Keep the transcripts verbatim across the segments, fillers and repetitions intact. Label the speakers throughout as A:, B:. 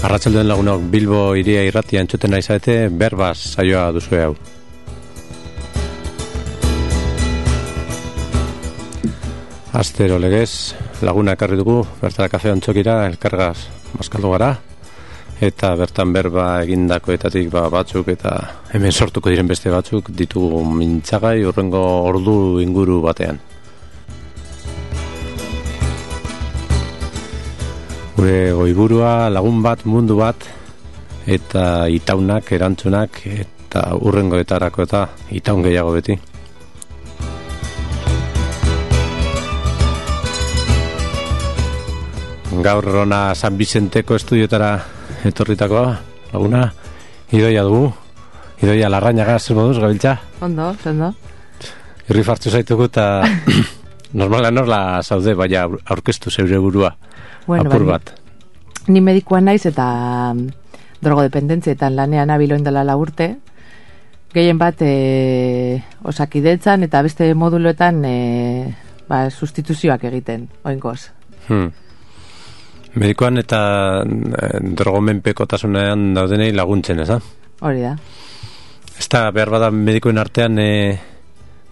A: Arratsaldean lagunok, Bilbo iria irratia entzuten nahi zaete, berbaz saioa duzue hau. Astero legez, laguna ekarri dugu, bertara kafe ontzokira, elkargaz maskaldu gara, eta bertan berba egindakoetatik ba, batzuk eta hemen sortuko diren beste batzuk ditugu mintzagai urrengo ordu inguru batean. Gure goiburua lagun bat, mundu bat, eta itaunak, erantzunak, eta urrengoetarako eta itaun gehiago beti. Gaur ona San Vicenteko estudiotara etorritakoa, laguna, Idoia dugu, Idoia Larrañaga, zer moduz, gabiltza?
B: Ondo, ondo.
A: Irri fartu zaitugu eta normala norla zaude, baina aurkeztu zeure burua.
B: Bueno,
A: apur
B: bani,
A: bat.
B: Ni medikoa naiz eta drogodependentzietan lanean abiloin dela la urte. Gehien bat e, osakidetzan eta beste moduloetan e, ba, sustituzioak egiten, oingoz.
A: Hmm. Medikoan eta e, drogomenpekotasunean daudenei laguntzen, ez da?
B: Hori da.
A: Ez da, behar bada medikoen artean e,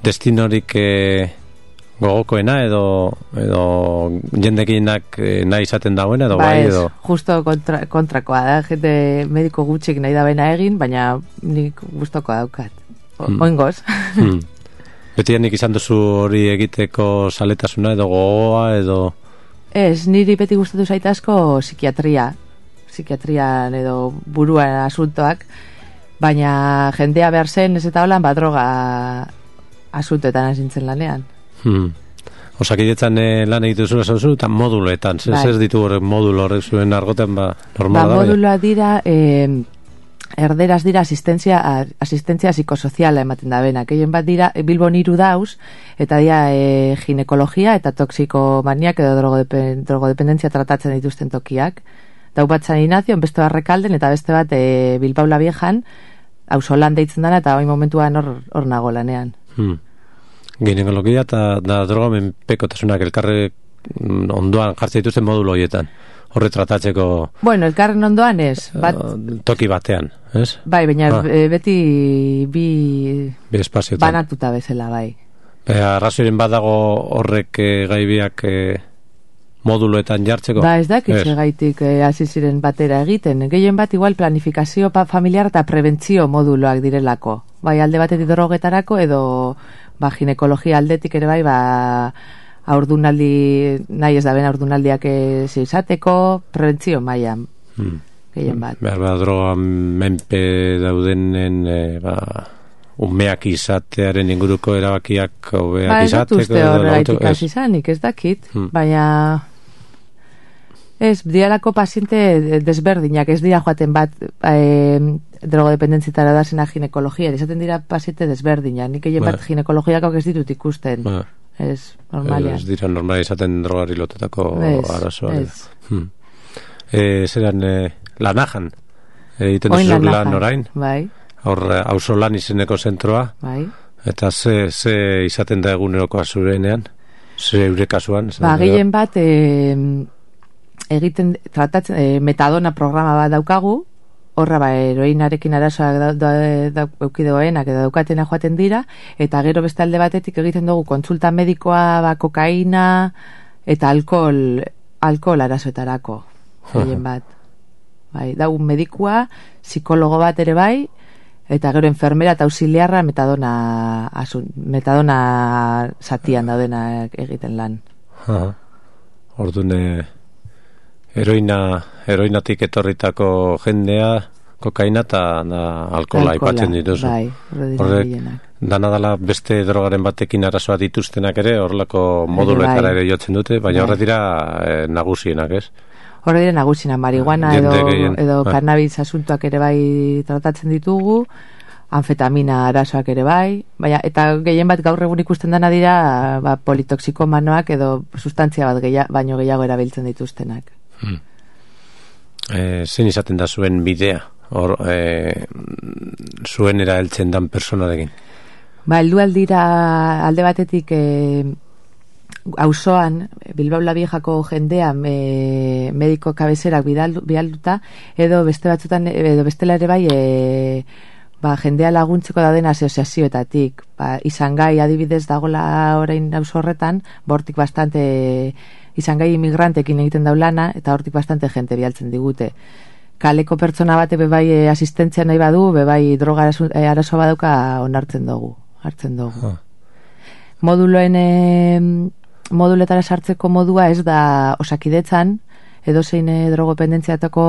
A: destinorik e, gogokoena edo edo jendekienak nahi izaten dauen edo
B: ba
A: bai
B: ez,
A: edo
B: justo kontra, kontrakoa da, jende mediko gutxik nahi da bena egin, baina nik gustoko daukat. O,
A: hmm.
B: Oingoz.
A: hmm. Betianik izan duzu hori egiteko saletasuna edo gogoa edo
B: Ez, niri beti gustatu zait asko psikiatria. Psikiatrian edo buruan asuntoak, baina jendea behar zen ez eta holan ba droga asuntoetan hasintzen lanean.
A: Hmm. Osakidetzan eh, lan egitu zuen zauzu eta moduloetan, zer
B: bai.
A: zer ditu horrek modulo horrek zuen argoten ba normala
B: ba,
A: da.
B: Moduloa dira eh, erderaz dira asistentzia asistentzia psikosoziala ematen da bena. Gehien bat dira Bilbon hiru dauz eta dira e, ginekologia eta toxikomaniak edo drogodepen, drogodependentzia tratatzen dituzten tokiak. Dau bat San Ignacio, beste Barrekalden eta beste bat e, Bilbao la Viejan, auzolan deitzen dana eta hori momentuan hor hor nago lanean.
A: Hmm. Ginekologia eta da drogamenpekotasunak elkarre ondoan jartzen dituzten modulo horietan. Horre tratatzeko
B: Bueno, elkarren ondoan ez, bat
A: uh, toki batean, ez?
B: bai, baina
A: ah.
B: e, beti bi
A: Bi espazioetan.
B: banatuta bezala bai.
A: Arrazoiren badago horrek e, gaibiak e, moduloetan jartzeko?
B: Ba, ez dakit segaitik e, hasi ziren batera egiten. Gehien bat igual planifikazio pa, familiar eta prebentzio moduloak direlako. Bai, alde batetik drogetarako edo ba, ginekologia aldetik ere bai, ba, aurdunaldi, nahi ez da ben aurdunaldiak ez izateko, prebentzio mailan. Hmm. Gehien bat.
A: Behar ba, droga menpe daudenen e, ba, umeak izatearen inguruko erabakiak hobeak
B: ba,
A: izateko.
B: Ba, ez dut uste horregaitik hasi izanik, ez dakit, hmm. baina ez, dialako paziente desberdinak, ez dira joaten bat e, drogodependentzitara da zena ginekologia, izaten dira paziente desberdinak, nik egin bat ginekologiako ez ditut ikusten. Ba. Ez, normalia.
A: Ez dira normala izaten drogari lotetako arazoa.
B: Ez,
A: hmm. e, Zeran, e, lanajan, egiten duzu lan orain?
B: Bai.
A: Hor, auzo lan izeneko zentroa?
B: Bai.
A: Eta ze, ze izaten da egunerokoa zurenean? Ze eure kasuan?
B: Ba, gehien bat, e, egiten, tratatzen, e, metadona programa bat daukagu, horra ba, heroinarekin arazoak da, da, da, eukidegoenak edo daukatena joaten dira, eta gero beste alde batetik egiten dugu kontsulta medikoa, ba, kokaina eta alkohol, alkohol arazoetarako, gehien bat. Bai, dago medikua, psikologo bat ere bai, eta gero enfermera eta auxiliarra metadona, asun, metadona zatian daudena egiten lan.
A: Orduan, heroina, heroinatik etorritako jendea, kokaina eta alkohola aipatzen dituzu.
B: Bai,
A: horrek, dana dala beste drogaren batekin arazoa dituztenak ere, horrelako moduletara ere jotzen dute, baina horre dira e, nagusienak, ez?
B: Horre dira nagusienak, marihuana edo, edo
A: ah.
B: cannabis asuntoak ere bai tratatzen ditugu, anfetamina arazoak ere bai, baina, eta gehien bat gaur egun ikusten dena dira ba, politoxikomanoak edo sustantzia bat geia, baino gehiago erabiltzen dituztenak.
A: Hmm. E, zein izaten da zuen bidea? Hor, e, zuen eraeltzen dan personarekin?
B: Ba, heldu aldira alde batetik e, auzoan Bilbao la Viejako jendea me, mediko kabezerak bidaldu, bidalduta, edo beste batzutan, edo bestela ere bai, e, ba, jendea laguntzeko dauden asoziazioetatik. Ba, izan gai adibidez dagola orain auzo horretan, bortik bastante izan gai imigrantekin egiten daulana, eta hortik bastante jente bialtzen digute. Kaleko pertsona bate bebai asistentzia nahi badu, bebai droga arazo badauka onartzen dugu, hartzen dugu. Huh. Moduloen e, moduletara sartzeko modua ez da Osakidetzan, edo zein drogopendentziatako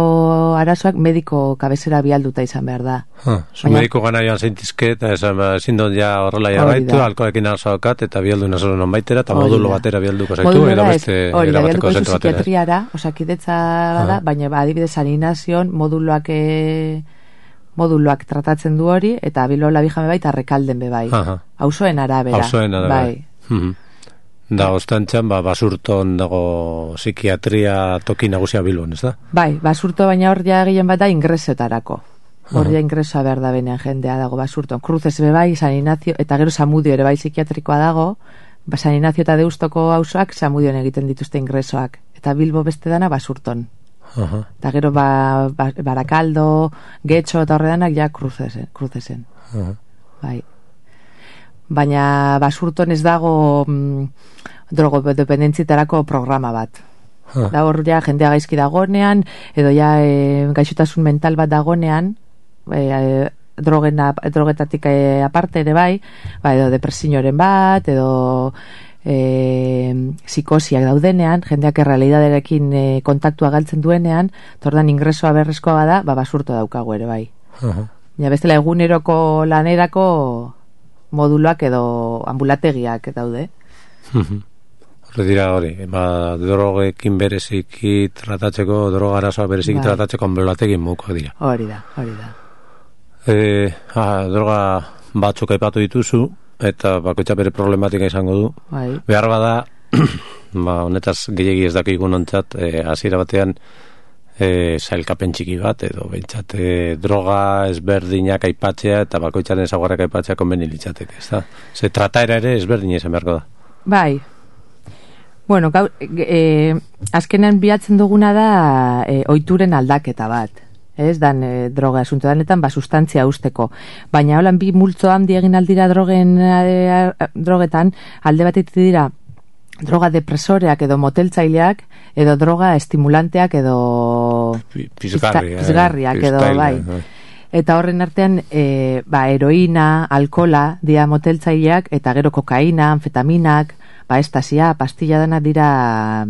B: arazoak mediko kabezera bialduta izan behar da.
A: Huh. Zu Baina, mediko gana joan zeintizke, eta ezin dut ja horrela jarraitu, alkoekin arazoakat, eta bialdu nazoro non baitera, eta modulo batera bialduko zaitu, edo beste erabateko zentu batera.
B: Psikiatriara, Osakidetza bada, baina ba, adibidez Saninazion moduloak e, moduloak tratatzen du hori, eta Bilbao la Vieja bebai, eta Rekalden bebai. Auzoen arabera.
A: Auzoen arabera. Bai. Uh-huh. Da, ostantxan, ba, Basurton dago psikiatria toki nagusia Bilbon, ez da?
B: Bai, Basurto baina hor ja gehien bat da ingresoetarako. Hor ja ingresoa behar da benean jendea dago Basurton. Cruzes bebai, San Ignacio, eta gero Samudio ere bai psikiatrikoa dago, ba, San Ignacio eta Deustoko auzoak Samudion egiten dituzte ingresoak. Eta Bilbo beste dana Basurton. Uh-huh. Eta gero ba, ba, Barakaldo, Getxo eta horredanak ja Cruzesen. Cruzesen. Uh-huh. Bai. Baina Basurton ez dago mm, drogodependentzitarako programa bat. Huh. Da hor ja jendea gaizki dagonean, edo ja e, gaixotasun mental bat dagonean, e, e, drogena, drogetatik e, aparte ere bai, ba, edo depresioaren bat, edo e, psikosiak daudenean, jendeak errealidaderekin e, kontaktua galtzen duenean, tordan ingresoa berrezkoa bada, ba, Basurto daukagu ere bai. Uh-huh. Ja, bestela eguneroko lanerako moduloak edo ambulategiak daude.
A: Horre dira hori, ba, drogekin bereziki tratatzeko, droga arazoa bereziki bai. Tratatzeko ambulategin mukoak dira.
B: Hori da, hori da.
A: E, ah, droga batzuk aipatu dituzu, eta bakoitza bere problematika izango du.
B: Bai.
A: Behar bada, ba, honetaz gehiagi ez dakigun ontzat, e, hasiera batean, E, zailkapen txiki bat, edo behintzat e, droga ezberdinak aipatzea eta bakoitzaren zaguarrak aipatzea konbeni litzateke, ez da? Ze trataera ere ezberdin izan beharko da.
B: Bai. Bueno, gau, e, azkenean bilatzen duguna da e, oituren aldaketa bat. Ez dan e, droga asunto danetan, ba, sustantzia usteko. Baina holan bi multzo handi egin aldira drogen, e, drogetan, alde batetik dira droga depresoreak edo moteltzaileak, edo droga estimulanteak edo
A: pizgarri,
B: pizgarriak eh, edo bai. bai. Eta horren artean e, ba, heroina, alkola dira moteltzaileak, eta gero kokaina, anfetaminak, ba, estasia, pastilla dana dira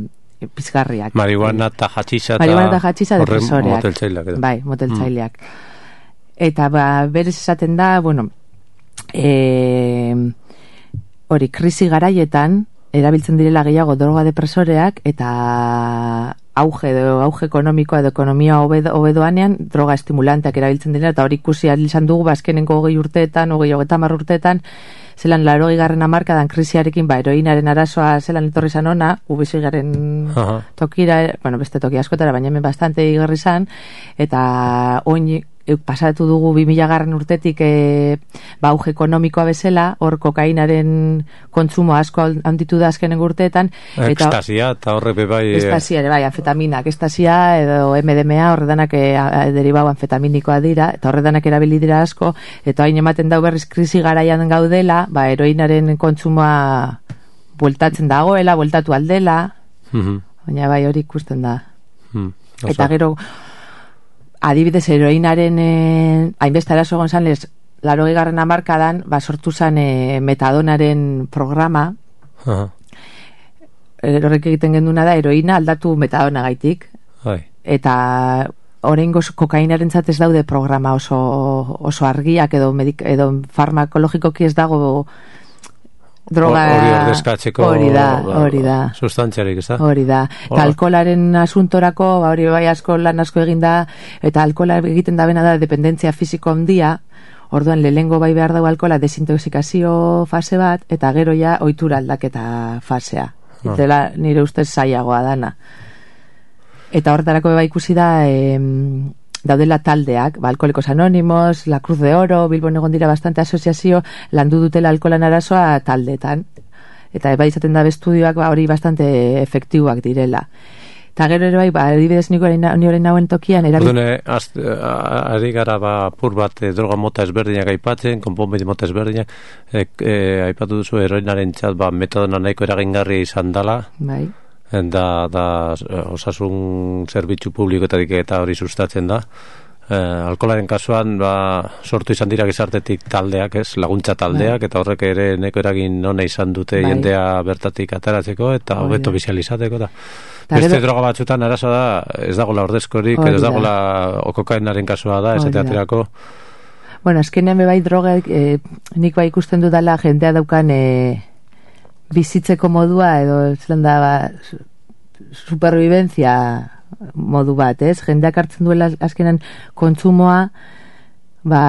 B: pizgarriak.
A: Marihuana eta hatxixa
B: eta depresoreak.
A: Moteltzaileak.
B: Bai, moteltzaileak. Mm. Eta ba, berez esaten da, bueno, e, hori, krisi garaietan, erabiltzen direla gehiago droga depresoreak eta auge edo auge ekonomikoa edo ekonomia hobedo, hobedoanean droga estimulanteak erabiltzen direla, eta hori ikusi izan dugu bazkenenko hogei urteetan, hogei hogeita hamar urteetan, zelan larogei garren hamarkadan krisiarekin, ba, heroinaren arazoa zelan etorri zan ona, ubisi garen uh-huh. tokira, bueno, beste toki askotara, baina hemen bastante igarri zan, eta oin pasatu dugu bi mila garren urtetik e, ba, auge ekonomikoa bezala, hor kokainaren kontsumo asko handitu da azkenen urteetan.
A: Ekstasia, eta horre bebai...
B: Ekstasia, bai, anfetaminak, ekstasia edo M D M A, horre danak e, deribau anfetaminikoa dira, eta horre danak erabili dira asko, eta hain ematen dau berriz krisi garaian gaudela, ba, heroinaren kontsumoa bueltatzen dagoela, bueltatu aldela, mm-hmm. baina bai hori ikusten da. Mm, eta gero... Adibidez, heroinaren eh, hainbeste arazo egon zan, les, larogei garren hamarkadan, ba, sortu zan eh, metadonaren programa. Uh-huh. Horrek egiten genduna da, heroina aldatu metadona gaitik.
A: Hai.
B: Eta oraingoz kokainaren zatez daude programa oso, oso argiak edo, medik, edo farmakologikoki ez dago droga...
A: Hori ordezkatzeko...
B: Hori da, hori da.
A: Sustantziarik, ez da?
B: Hori da. Eta alkoholaren asuntorako, ba, hori bai asko lan asko eginda, eta alkohola egiten da bena da dependentzia fisiko handia, orduan lehengo bai behar dago alkohola desintoxikazio fase bat, eta gero ja ohitura aldaketa fasea. Ah. Itela nire ustez zailagoa dana. Eta horretarako bai ikusi da... Eh, daudela taldeak, ba, Alkoholikos Anónimos, La Cruz de Oro, Bilbon egon dira bastante asoziazio, landu dutela alkoholan arazoa taldetan. eta bai izaten da bestudioak ba, hori bastante efektiboak direla. Eta gero ere bai, ba, adibidez niko horren nauen tokian erabil...
A: Ordune, ari gara ba, pur bat e, droga mota ezberdinak aipatzen, konponbide mota ezberdinak, e, e, aipatu duzu heroinaren txat, ba, metodona nahiko eragingarria izan dala,
B: bai.
A: da, da osasun zerbitzu publikoetatik eta hori sustatzen da. E, alkolaren kasuan ba, sortu izan dira gizartetik taldeak, ez, laguntza taldeak, bai. Eta horrek ere neko eragin ona izan dute bai. Jendea bertatik ateratzeko eta hobeto bizializateko da. Beste gero, droga batzutan arazo da, ez dagoela ordezkorik, ez dagoela okokainaren kasua da, ez aterako.
B: Bueno, azkenean bai droga, eh, nik bai ikusten dudala jendea daukan eh, bizitzeko modua, edo zelan da, ba, supervivencia modu bat, ez? Jendeak hartzen duela azkenean kontsumoa, ba,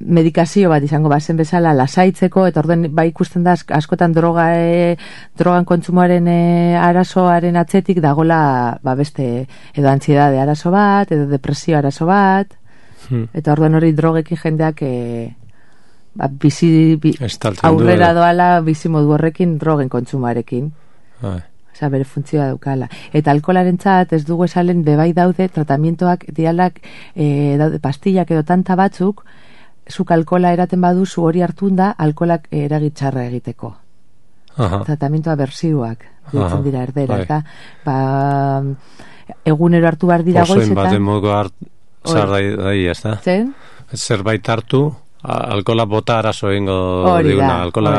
B: medikazio bat izango bazen bezala lasaitzeko, eta orden bai ikusten da askotan droga e, drogan kontsumoaren e, arazoaren atzetik dagola ba beste edo antsiedade arazo bat, edo depresio arazo bat, hmm. Eta orden hori drogekin jendeak e, ba, bizi bi, aurrera doala bizi modu horrekin drogen kontsumoarekin. Ai. Osa, bere funtzioa daukala. Eta alkolaren txat, ez dugu esalen bebai daude tratamientoak dialak e, daude pastillak edo tanta batzuk, zuk alkola eraten baduzu hori hartun da, alkolak eragitxarra egiteko. Aha. Tratamiento aversiboak ditzen dira erdera. Bai. Eta, ba, egunero hartu behar dira goizetan.
A: Osoen baten modu hartzar daia, ez da? Zen? Zerbait hartu, alkola bota arazo egingo diguna. Alkola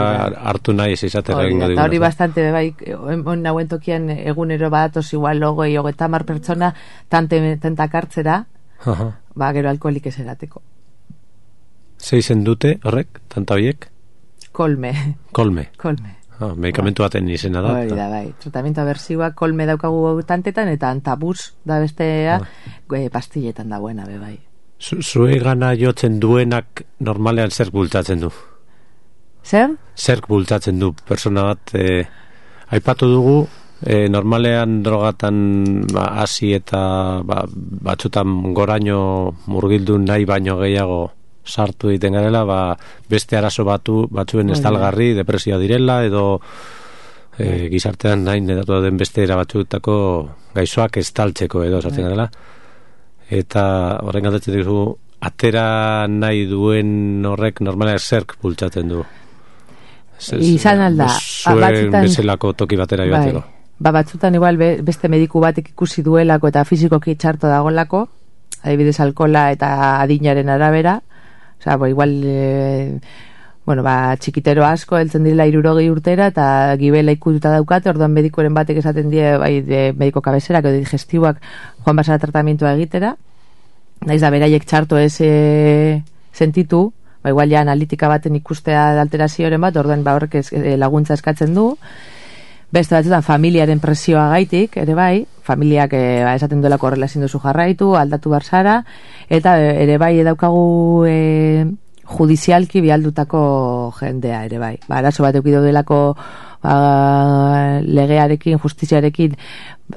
A: hartu nahi ez izatera egingo diguna.
B: Hori bastante, bai, nauen tokian egunero badatoz igual logo eta mar pertsona tentak hartzera, ba, gero alkoholik ez erateko.
A: Zeizen dute, horrek, tanta horiek?
B: Kolme.
A: Kolme.
B: Kolme.
A: Ah, medikamentu baten izena da.
B: Hori da, bai. Tratamiento aversiboa kolme daukagu tantetan, eta antabus da bestea, ah. e, pastilletan da buena, be bai.
A: Zue gana jotzen duenak normalean zerk bultzatzen du?
B: Zer?
A: Zerk bultzatzen du, persona bat, e, aipatu dugu, e, normalean drogatan ba, hasi eta ba, batzutan goraino murgildu nahi baino gehiago sartu egiten garela, ba, beste arazo batu, batzuen estalgarri, depresioa direla, edo e, gizartean nahi nedatu den beste era batzutako gaizoak estaltzeko edo sartzen garela. Eta horren galdetzen dugu, atera nahi duen horrek normala zerk bultzatzen du.
B: Izan alda.
A: Zuen bezalako toki batera joateko.
B: Ba, batzutan igual beste mediku batek ikusi duelako eta fizikoki txarto dagolako, adibidez alkola eta adinaren arabera. Osa, bo, igual, e, bueno, ba, txikitero asko, heltzen direla hirurogei urtera, eta gibela ikututa daukate, orduan medikoren batek esaten die, bai, de mediko kabezerak, edo digestiboak, joan basara tratamientoa egitera, naiz da, beraiek txarto ez e, sentitu, ba, igual ja analitika baten ikustea alterazioaren bat, orduan ba, horrek ez, e, laguntza eskatzen du, beste batzutan familiaren presioa gaitik, ere bai, familiak e, ba, esaten duelako horrela ezin duzu jarraitu, aldatu barzara, eta e, ere bai edaukagu e, judizialki bialdutako jendea, ere bai. Ba, arazo bat eukido delako ba, legearekin, justiziarekin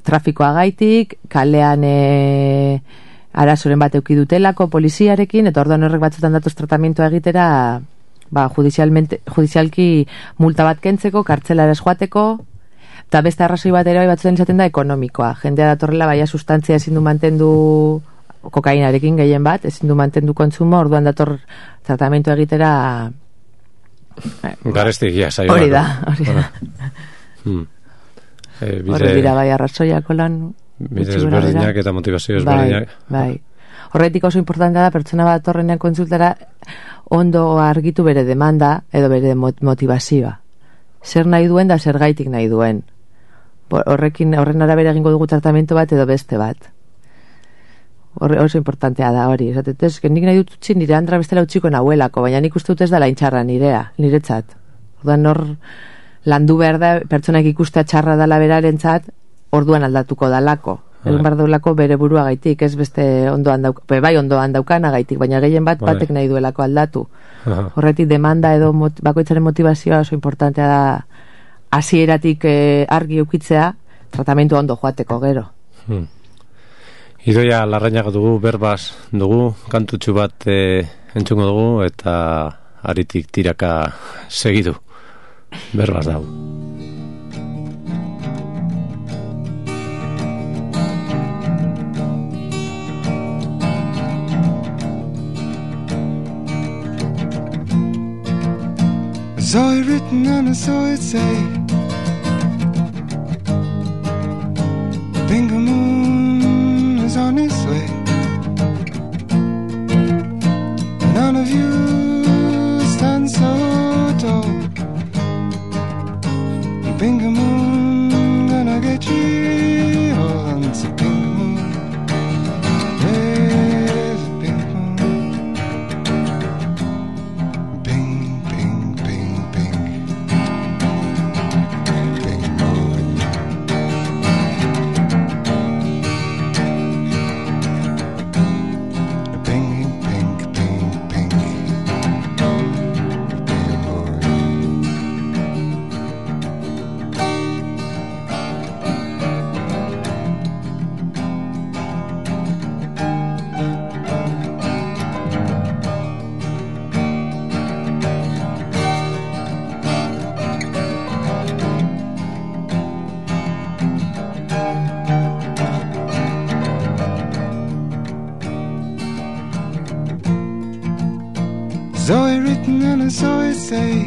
B: trafikoa gaitik, kalean e, arazoren bat eukidutelako poliziarekin, eta orduan horrek batzutan datoz tratamientoa egitera, ba, judizialki multa bat kentzeko, kartzelara joateko, eta beste arrazoi bat ere bai batzutan izaten da ekonomikoa. Jendea datorrela baia sustantzia ezin du mantendu kokainarekin gehien bat, ezin du mantendu kontsumo, orduan dator tratamentu egitera
A: garestikia saio.
B: Hori da, hori da.
A: Hmm. E, bide...
B: Horre dira bai arrazoiako lan
A: bide ezberdinak eta motivazio ezberdinak.
B: Bai, bai. Horretik oso importantea da pertsona bat torrenean kontsultara ondo argitu bere demanda edo bere motivazioa. Zer nahi duen da zer gaitik nahi duen. Horrekin, horren arabera egingo dugu tratamentu bat edo beste bat. Horre, oso importantea da hori. Esatez, nik nahi dut utzi nire andra bestela utziko nahuelako, baina nik uste dut ez da laintxarra nirea, niretzat. Orduan hor landu behar da, pertsonak ikustea txarra dala berarentzat, orduan aldatuko dalako. Egun behar daulako bere burua gaitik, ez beste ondoan dauk, bai ondoan daukana gaitik, baina gehien bat batek nahi duelako aldatu. Horretik demanda edo mot, bakoitzaren motivazioa oso importantea da hasieratik eh, argi eukitzea, tratamentu ondo joateko gero.
A: Hmm. Idoia Larrañaga dugu, berbaz dugu, kantutxu bat e, entzungo dugu, eta aritik tiraka segidu. berbaz dau.
C: I saw it written and I saw it say, Bingo Moon is on its way. None of you stand so tall. Bingo Moon gonna get you all. It's a Bingo Moon. There's a Bingo Moon. Bing, bing, bing, bing. Bingo Moon. Bing, bing, bing, bing. Bingo Moon. Saw it written and I saw it say,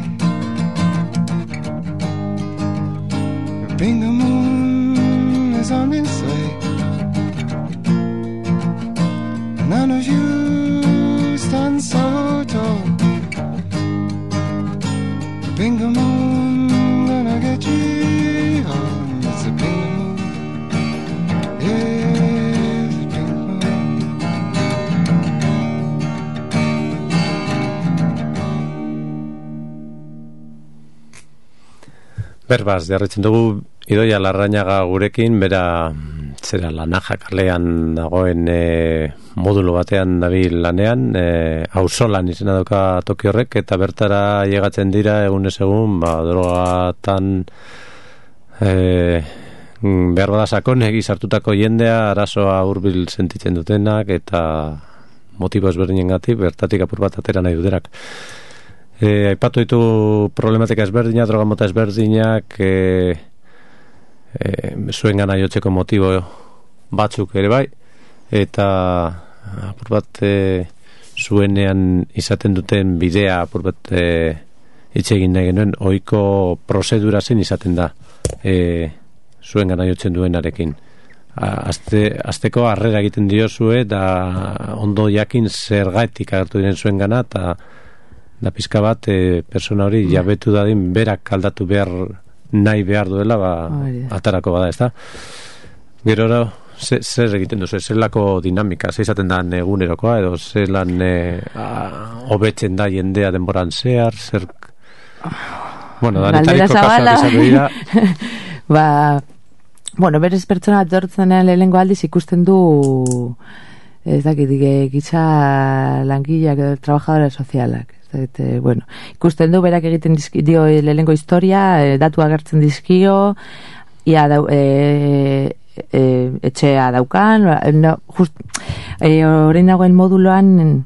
C: Bingo Moon is on its way. None of you stand so tall. Bingo Moon gonna get you home. It's a Bingo Moon. Yes, Bingo Moon.
A: Berbaz, jarretzen dugu Idoia Larrañaga gurekin, bera zera Lanaja kalean dagoen e, modulo batean dabil lanean, e, auzolan izena dauka toki horrek, eta bertara llegatzen dira egunez egun, ba, drogatan e, behar bada sakonegi sartutako jendea, arazoa hurbil sentitzen dutenak, eta motibo ezberdinengatik bertatik apur bat atera nahi dutenak. E, aipatu ditu problematika ezberdinak, droga mota ezberdinak, e, e, zuen gana jotzeko motibo batzuk ere bai, eta apur bat e, zuenean izaten duten bidea apur bat e, itxegin nahi genuen, ohiko prozedura zen izaten da e, zuen gana jotzen duenarekin. Azte, azteko harrera egiten diozue, eta ondo jakin zergatik agertu diren zuen gana, eta da pizka bat e, persona hori jabetu dadin berak aldatu behar nahi behar duela, ba, atarako bada, ezta? Gero zer, zer egiten duzu, zelako dinamika, zer izaten da egunerokoa, edo zelan e, hobetzen da jendea denboran zehar, zer... Bueno, danetariko kasuak izan dira.
B: Ba, bueno, berez pertsona bat dortzenean lehenengo aldiz ikusten du, ez dakit, gitza langileak, trabajadora sozialak. Eta, bueno, ikusten du berak egiten dizki, dio lehenengo historia, e, datu agertzen dizkio, ia dau, e, e, etxea daukan, no, just, e, orain dagoen moduloan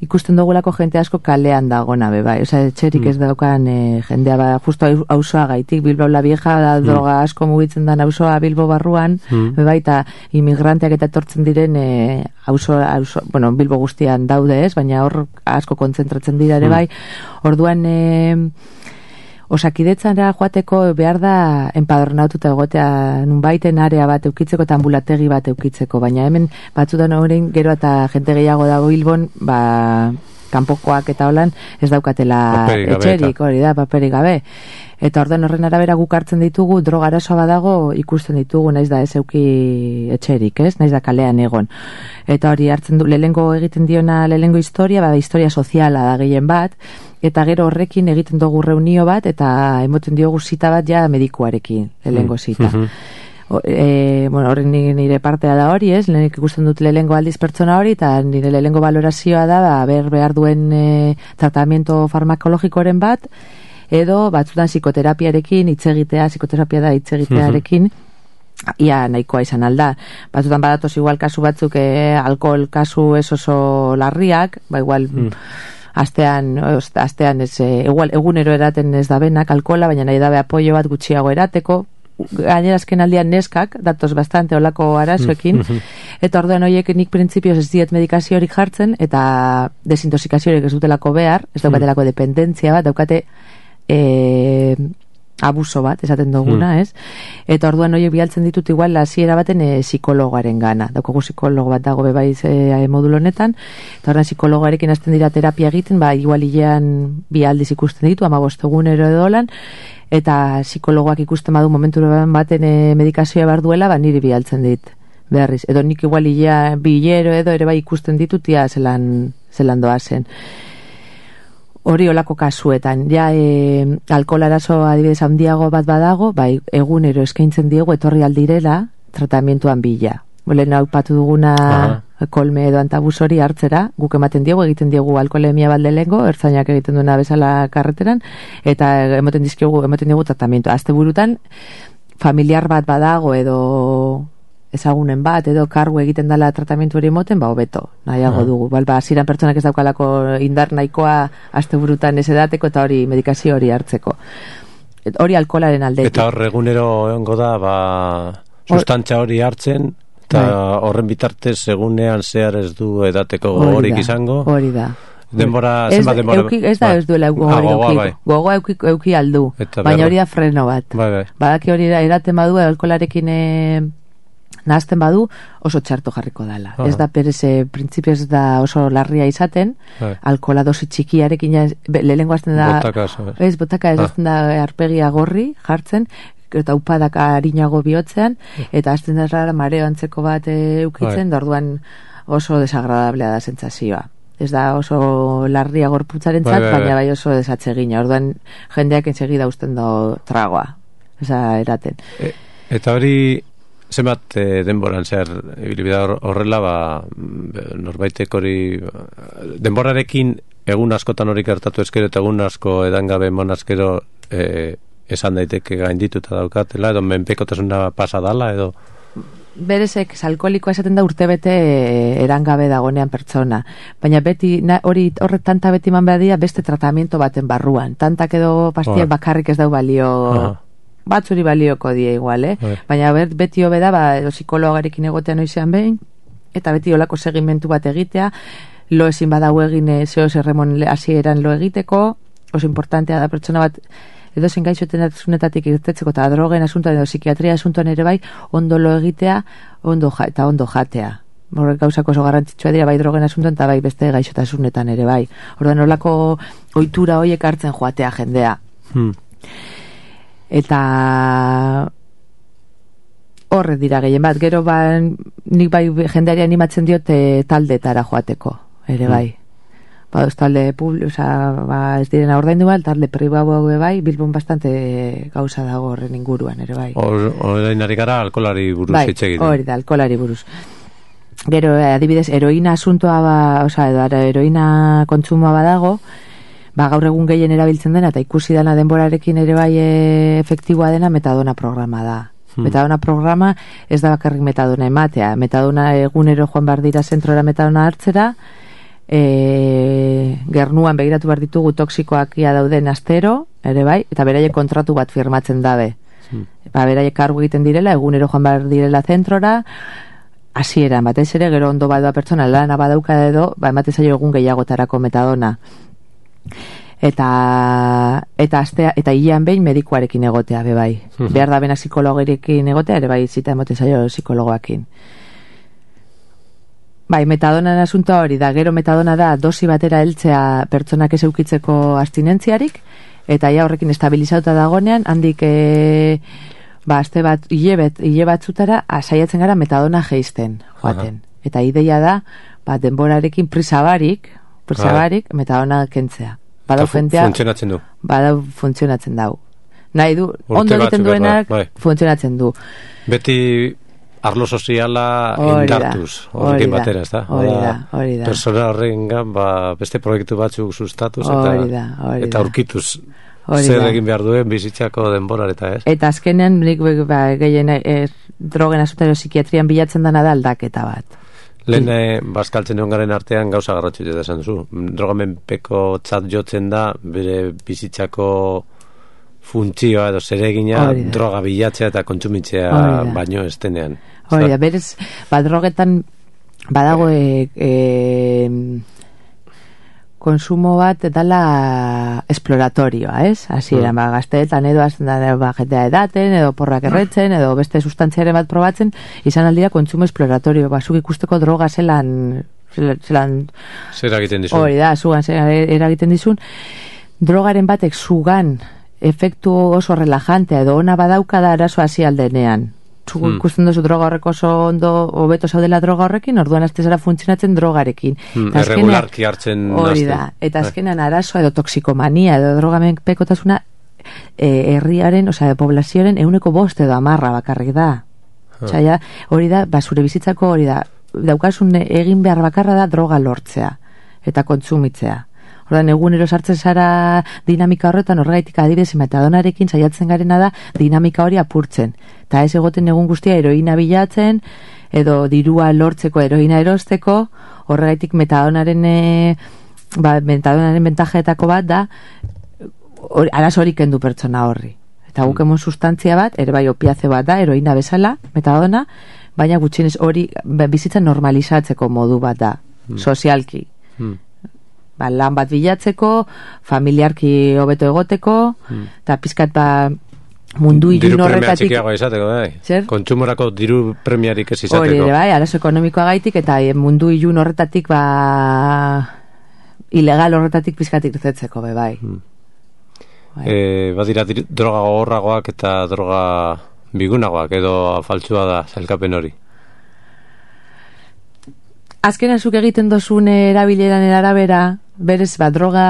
B: ikusten dugulako jente asko kalean dagona be bai, osea etxerik ez daukan e, jendea ba justo auzoa gaitik, Bilbao la Vieja da droga asko mugitzen da auzoa Bilbo barruan, mm. be bai, eta inmigranteak eta etortzen diren e, auzo, auzo, bueno, Bilbo guztian daude, ez, baina hor asko kontzentratzen dira ere bai. Orduan e, Osakidetzara joateko behar da enpadronatuta egotea nunbaiten area bat eukitzeko eta ambulategi bat eukitzeko, baina hemen batzutan horrein gero eta jente gehiago dago Bilbon, ba, kanpokoak eta holan ez daukatela etxerik, hori da, paperik gabe. Eta orden horren arabera guk hartzen ditugu, droga arazoa badago ikusten ditugu, naiz da ez euki etxerik, ez? Naiz da kalean egon. Eta hori hartzen du, lehengo egiten diona lehengo historia, bada historia soziala da gehien bat, eta gero horrekin egiten dugu reunio bat, eta emoten diogu zita bat ja medikuarekin, lehengo zita. O, e, bueno, horren nire partea da hori, ez? Lehenik ikusten dut lehengo aldiz pertsona hori, eta nire lehengo valorazioa da, ba, ber behar duen e, tratamiento farmakologikoren bat, edo batzutan psikoterapiarekin hitzegitea, psikoterapia da hitzegitearekin, ia nahikoa izan alda. Batzutan badatoz igual kasu batzuk, eh, alkohol kasu ez oso larriak, ba igual mm. astean, oz, astean ez, e, igual, egunero eraten ez da benak alkohola, baina nahi dabe apoio bat gutxiago erateko, gainera azken aldian neskak, datoz bastante olako arazoekin, eta orduan horiek nik printzipioz ez diet medikaziorik jartzen, eta desintoxikaziorik ez dutelako behar, ez daukatelako dependentzia bat, daukate e, abuso bat, esaten duguna, ez? Eta orduan horiek bialtzen ditut igual hasiera baten e, psikologoaren gana. Daukagu psikologo bat dago bebaiz e, modulo honetan, eta orduan psikologoarekin hasten dira terapia egiten, ba, igual hilean bi aldiz ikusten ditu, hamabost egunero edo dolan, eta psikologoak ikusten badu momentu baten e, medikazioa behar duela, ba, niri bialtzen dit berriz. Edo nik igual hilea, bi hilero edo ere bai ikusten ditutia zelan, zelan doazen. Hori olako kasuetan, ja e, alkohol arazo adibidez handiago bat badago, bai egunero eskaintzen diegu etorri aldirela tratamentuan bila. Bolen aupatu duguna Aha. kolme edo antabus hori hartzera, guk ematen diegu, egiten diegu alkoholemia bat lehengo, ertzainak egiten duena bezala karreteran, eta emoten dizkigu, emoten diegu tratamentu. Azte burutan, familiar bat badago edo ezagunen bat, edo kargu egiten dela tratamentu hori emoten, ba, hobeto, nahiago dugu. Bal, ba, ziran pertsonak ez daukalako indar nahikoa asteburutan ez edateko eta hori medikazio hori hartzeko. Et, hori alkoholaren aldetik.
A: Eta hor egunero egongo da, ba, sustantza hori hartzen, eta horren bitartez egunean zehar ez du edateko gogorik izango.
B: Hori da.
A: Denbora, zenbat denbora...
B: Euki, ez da ez duela gogorik euki. Gogoa euki, euki aldu. Baina hori da freno bat.
A: Bai, bai.
B: Badaki hori da, eraten badu, alkoholarekin e, nahazten badu, oso txarto jarriko dela. Aha. Ez da perez, printzipio ez da oso larria izaten, bai. Alkohola dosi txikiarekin, lehenko azten da...
A: Botaka,
B: ez, botaka ez azten da arpegia gorri jartzen, eta upadak harinago bihotzean, eta azten da rara mareo antzeko bat e, eukitzen, bai. Orduan oso desagradablea da sentsazioa. Ez da oso larria gorputzaren zat, bai, bai, bai. Baina bai oso desatsegina. Orduan jendeak ensegida usten do tragoa. Eza eraten.
A: E, eta hori... Zenbat e, denboran zehar ibilbidea horrela, ba, norbaitek hori denborarekin egun askotan hori gertatu eskero eta egun asko edangabe monazkero e, esan daiteke gaindituta daukatela, edo menpekotasuna pasa dala, edo...
B: Berezek, alkoholikoa esaten da urtebete erangabe dagonean pertsona, baina beti na, hori horret tanta beti man behar dira beste tratamiento baten barruan, tantak edo pastiak bakarrik ez dau balio... Aha. Batzuri balioko die igual, eh? Bai. Baina ber, beti hobe da, ba, psikologarekin egotea noizean behin, eta beti olako segimentu bat egitea, lo ezin badau egin zeo zerremon hasieran lo egiteko, oso importantea da pertsona bat, edo zen gaixoten atzunetatik irtetzeko, eta drogen asuntoan edo psikiatria asuntoan ere bai, ondo lo egitea, ondo ja, eta ondo jatea. Horrek gauzako oso garrantzitsua dira, bai drogen asuntoan, eta bai beste gaixotasunetan ere bai. Orduan olako ohitura horiek hartzen joatea jendea. Hmm. Eta horre dira gehien bat, gero ba, nik bai jendeari animatzen diote taldetara joateko, ere bai. Mm. Ba, ez talde publi, oza, ba, ez direna ordaindu bat, talde pribatu bai, Bilbon bastante gauza dago horren inguruan, ere bai.
A: Horrein ari gara alkolari buruz
B: bai,
A: hitz egiten.
B: Hori da, alkolari buruz. Gero, adibidez, heroina asuntoa, ba, oza, edo, heroina kontsumoa badago, ba, gaur egun gehien erabiltzen dena, eta ikusi dena denborarekin ere bai e, efektiboa dena metadona programa da. Hmm. Metadona programa ez da bakarrik metadona ematea. Metadona egunero joan behar dira zentrora metadona hartzera, e, gernuan begiratu behar ditugu toksikoak ia dauden astero, ere bai, eta beraiek kontratu bat firmatzen dabe. Hmm. Ba, beraiek kargu egiten direla, egunero joan behar direla zentrora, hasieran batez ere, gero ondo badoa pertsona lana badauka edo, ba, ematen zaio egun gehiagotarako metadona. Eta eta astea eta hilean behin medikuarekin egotea be bai. Uh-huh. Behar da bena psikologerekin egotea ere bai zita emoten zaio psikologoakin. Bai, metadona asuntoa hori da, gero metadona da dosi batera heltzea pertsonak ez eukitzeko abstinentziarik, eta ja horrekin estabilizatuta dagonean, handik e, ba, aste bat, hile, bet, hile batzutara saiatzen gara metadona jeisten joaten. Uh-huh. Eta ideia da, ba, denborarekin prisabarik, prisabarik, metadona kentzea. Badau jentea...
A: Funtzionatzen du.
B: Badau funtzionatzen dau. Nahi du, ondo egiten duenak, bai. Funtzionatzen du.
A: Beti arlo soziala indartuz, horrekin batera, ez da?
B: Hori da, hori da.
A: Persona horrengan, ba, beste proiektu batzuk sustatuz, eta,
B: da,
A: eta aurkituz zer egin behar duen bizitzako denborar, eta ez?
B: Eta azkenean, nik ba, gehien eh, drogen asutario psikiatrian bilatzen dena da aldaketa bat.
A: Lehen eh, bazkaltzen egon garen artean gauza garratxu eta esan duzu. Drogamenpeko tzat jotzen da bere bizitzako funtzioa edo zeregina droga bilatzea eta kontsumitzea baino ez denean.
B: Hori da, berez, ba, drogetan badago e, e, konsumo bat dala esploratorioa, ez? Hasi eran, mm. ba, gazteetan edo azten da, ba, jentea edaten, edo porrak erretzen, edo beste sustantziaren bat probatzen, izan aldira kontsumo esploratorio, ba, zuk ikusteko droga zelan zelan
A: zer egiten dizun.
B: Hori da, zugan zer eragiten dizun. Drogaren batek zugan efektu oso relajantea edo ona badauka da arazo hasi aldenean. Zuk hmm. ikusten duzu droga horrek oso ondo hobeto zaudela droga horrekin, orduan azte zara funtzionatzen drogarekin.
A: Hmm, erregularki hartzen
B: hori da, eta azkenan arazoa edo toksikomania edo drogamen pekotasuna e, herriaren, osea, poblazioaren euneko bost edo amarra bakarrik da. Hmm. Osea, hori da, ba, zure bizitzako hori da, daukasun egin behar bakarra da droga lortzea eta kontsumitzea. Ordan egunero sartzen zara dinamika horretan, horregaitik adibidez metadonarekin saiatzen garena da dinamika hori apurtzen. Eta ez egoten egun guztia heroina bilatzen, edo dirua lortzeko heroina erosteko, horregaitik metadonaren e, ba, metadonaren bentajetako bat da or, arazo hori kendu pertsona horri. Eta guk emon sustantzia bat, ere bai opiaze bat da, heroina bezala, metadona, baina gutxienez hori bizitza normalizatzeko modu bat da, mm. sozialki. Mm. Ba, lan bat bilatzeko, familiarki hobeto egoteko, eta hmm. pizkat ba mundu ilun horretatik...
A: Diru premia txikiagoa izateko, bai. Zer? Kontsumorako diru premiarik ez izateko.
B: Hori, bai, arazo ekonomikoa gaitik, eta mundu ilun horretatik, ba, ilegal horretatik pizkat irtetzeko, bai. Hmm. bai.
A: E, badira, droga gogorragoak eta droga bigunagoak, edo faltsua da, zailkapen hori.
B: Azken azuk egiten dozun erabileran arabera, berez, ba, droga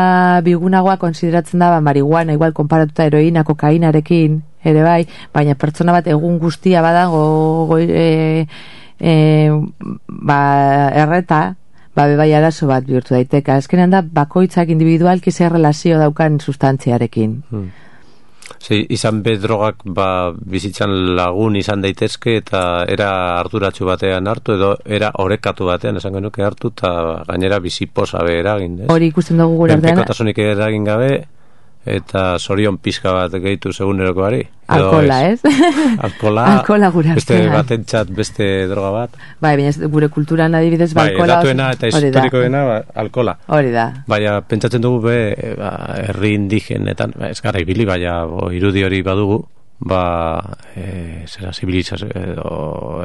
B: bigunagoa konsideratzen da, ba, marihuana, igual, konparatuta heroina, kokainarekin, ere bai, baina pertsona bat egun guztia badago, go, e, e, ba, erreta, ba, bebai arazo bat bihurtu daiteka. Azkenean da, bakoitzak individualki zer relazio daukan sustantziarekin. Hmm.
A: Sí, izan be drogak ba, bizitzan lagun izan daitezke eta era harturatsu batean hartu edo era orekatu batean esango nuke hartu eta gainera biziposa be eragin.
B: Hori ikusten dugu gure artean.
A: Menpekotasunik eragin gabe eta sorion pizka bat gehitu segunerokoari.
B: Alkola, ez?
A: Alkola,
B: alkola gure
A: beste batentzat beste droga bat.
B: Bai, baina gure kulturan adibidez ba, alkola...
A: Bai, edatuena eta historikoena ba, alkola.
B: Hori da.
A: Baina, pentsatzen dugu be, ba, herri indigenetan, ba, ez gara ibili, baina bo, irudi hori badugu, ba, e, zera, zibilizaz, edo,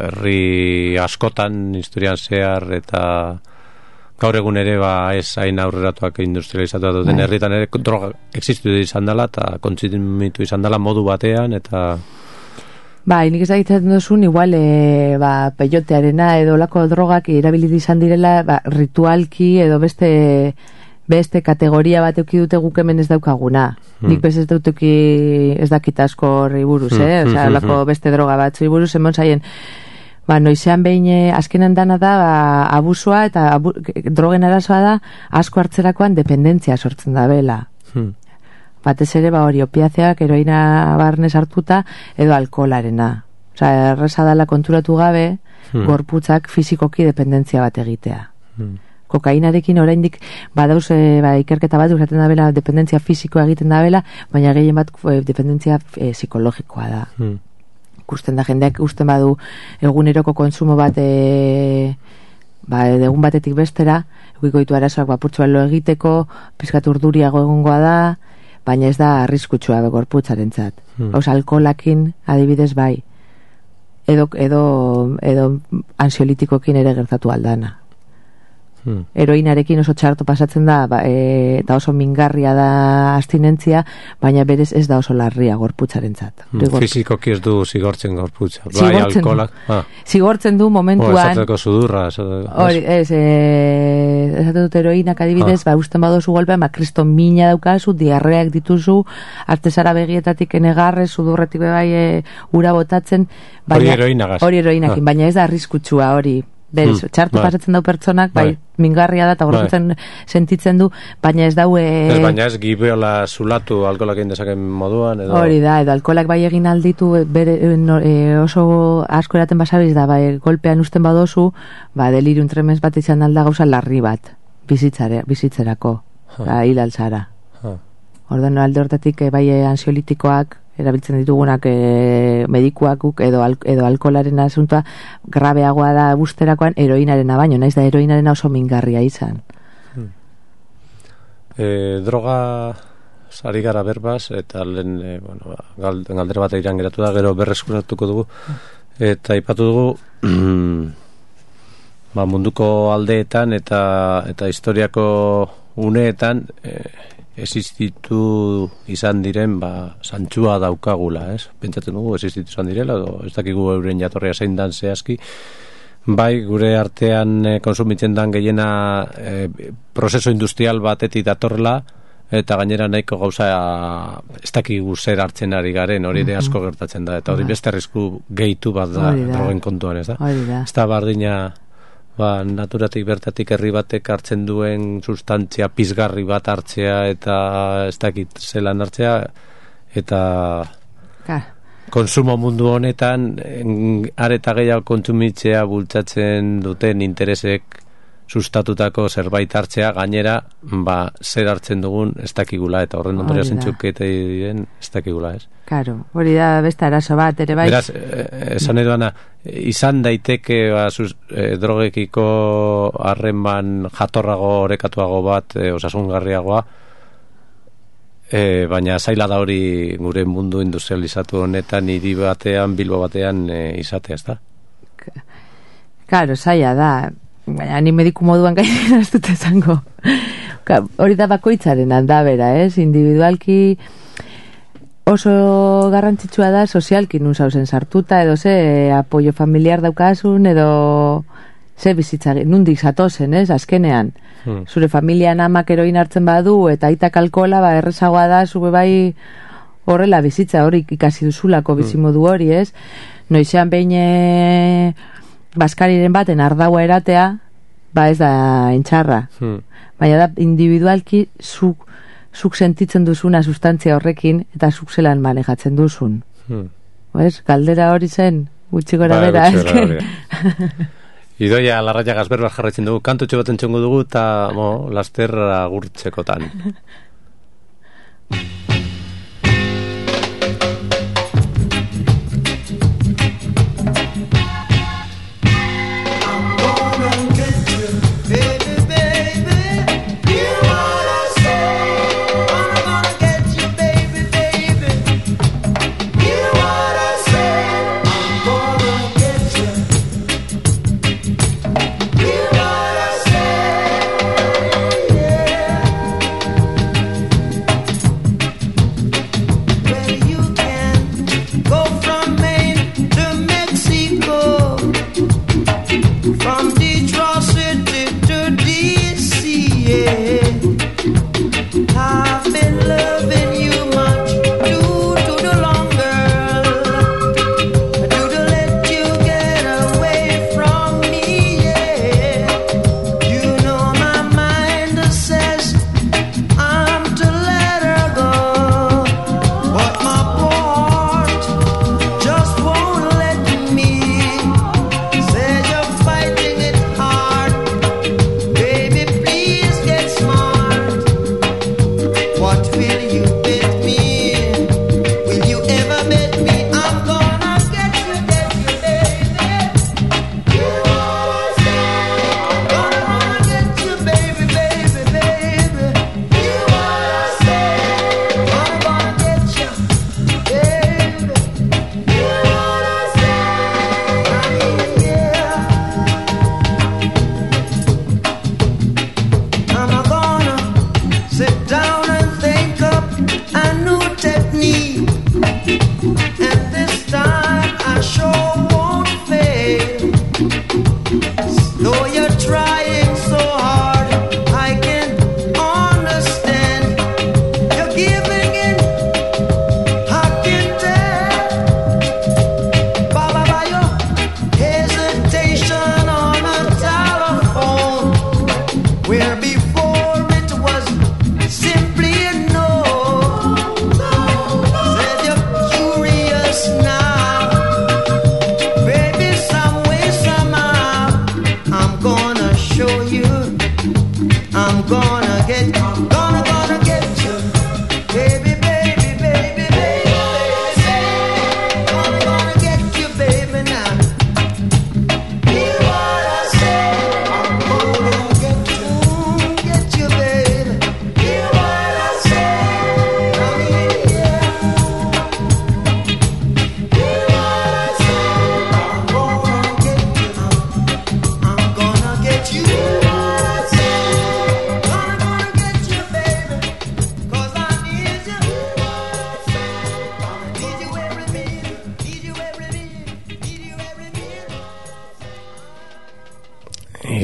A: herri askotan, historian zehar, eta... Gaur egun ere ba ez hain aurreratuak industrializatu duten herritan ere droga existitu izan dela eta kontsumitu izan dela modu batean eta
B: ba, nik ez egiten duzun igual e, ba, peyotearena edo lako drogak erabilit izan direla ba, ritualki edo beste beste kategoria bat euki dute guk hemen ez daukaguna. Hmm. Nik bez ez dutuki ez dakit asko horri buruz, eh? Hmm. Osea, lako beste droga bat zui buruz emon zaien ba, noizean behin azkenan dana da ba, abusua eta abu, drogen arazoa da asko hartzerakoan dependentzia sortzen da bela. Hmm. Batez ere ba hori opiazeak heroina barnez hartuta edo alkoholarena. Osea, erresa dela konturatu gabe hmm. gorputzak fizikoki dependentzia bat egitea. Hmm. Kokainarekin oraindik badauz e, ba, ikerketa bat usaten da bela dependentzia fizikoa egiten da bela, baina gehien bat e, dependentzia e, psikologikoa da. Hmm. Ikusten da jendeak usten badu eguneroko kontsumo bat e, ba, egun batetik bestera egikoitu arazoak bapurtzu lo egiteko pizkat urduriago egongoa da baina ez da arriskutsua gorputzarentzat. Hmm. Osa, alkoholakin adibidez bai edo, edo, edo ansiolitikokin ere gertatu aldana. Hmm. Heroinarekin oso txarto pasatzen da ba, e, eta oso mingarria da abstinentzia, baina berez ez da oso larria gorputzarentzat.
A: Hmm. Fizikoki ez du zigortzen gorputza. Bai, alkoholak. Ah.
B: Zigortzen du momentuan.
A: O, esateko sudurra.
B: Hori, ez, e, esate dut heroinak adibidez, ah. ba, usten badozu golpean, ba, kriston mina daukazu, diarreak dituzu, artezara begietatik enegarre, sudurretik bai e, ura botatzen.
A: Hori heroinagaz.
B: Hori heroinakin, ah. baina ez da arriskutsua hori. Berez, hmm. txartu bai. Pasatzen dau pertsonak, bai, bai mingarria da eta gorputzen sentitzen du, baina ez daue...
A: Ez baina ez gibiola zulatu alkoholak egin dezaken moduan, edo...
B: Hori da, edo alkoholak bai egin alditu bere, no, e, oso asko eraten basabiz da, bai, golpean usten badozu, ba, delirium tremens bat izan alda gauza larri bat, bizitzare, bizitzerako, ba, hil altzara. Ordan alde hortatik e, bai ansiolitikoak, erabiltzen ditugunak e, medikuak edo, al, edo alkoholaren asuntua grabeagoa da busterakoan heroinarena baino, naiz da heroinarena oso mingarria izan.
A: Hmm. E, droga sari gara berbaz, eta lehen e, bueno, galdera bat iran geratu da, gero berreskuratuko dugu, eta ipatu dugu ba, munduko aldeetan eta, eta historiako uneetan e, existitu izan diren ba, zantzua daukagula, ez? Pentsatzen dugu existitu izan direla, edo ez dakigu euren jatorria zein dan zehazki, bai gure artean e, konsumitzen dan gehiena e, prozeso industrial batetik datorrela, eta gainera nahiko gauza ez dakigu zer hartzen ari garen, hori ere asko gertatzen da, eta hori beste arrisku gehitu bat da, drogen kontuan, ez da? Ez da bardina... Ba, naturatik bertatik herri batek hartzen duen sustantzia pizgarri bat hartzea eta ez dakit zelan hartzea eta Ka. Konsumo mundu honetan areta gehiago kontsumitzea bultzatzen duten interesek sustatutako zerbait hartzea gainera ba, zer hartzen dugun ez dakigula eta horren ondoria zentzukete diren ez dakigula, ez?
B: Karo, hori da beste arazo bat ere bai.
A: Beraz, esan edo ana, izan daiteke ba, sus, eh, drogekiko harreman jatorrago orekatuago bat eh, osasungarriagoa eh, baina zaila da hori gure mundu industrializatu honetan hiri batean, Bilbo batean eh, izatea, ez da?
B: Karo, zaila da. Baina ni mediku moduan gainera ez dut esango. Hori da bakoitzaren aldabera, ez? Individualki oso garrantzitsua da sozialki nun zauzen sartuta, edo ze apoio familiar daukasun, edo ze bizitza, nundik zatozen, ez? Azkenean. Hmm. Zure familian amak heroin hartzen badu, eta aitak alkohola, ba, errezagoa da, zube bai horrela bizitza, hori ikasi duzulako bizimodu hori, ez? Noizean behin baskariren baten ardaua eratea, ba ez da entxarra. Hmm. Baina da individualki zuk, zuk sentitzen duzuna sustantzia horrekin eta zuk zelan manejatzen duzun. Hmm. Pues, galdera hori zen, gutxi gora ba, bera.
A: Idoia Larraia Gazberbar jarraitzen dugu, kantutxo bat entzongo dugu eta mo, laster agurtzekotan.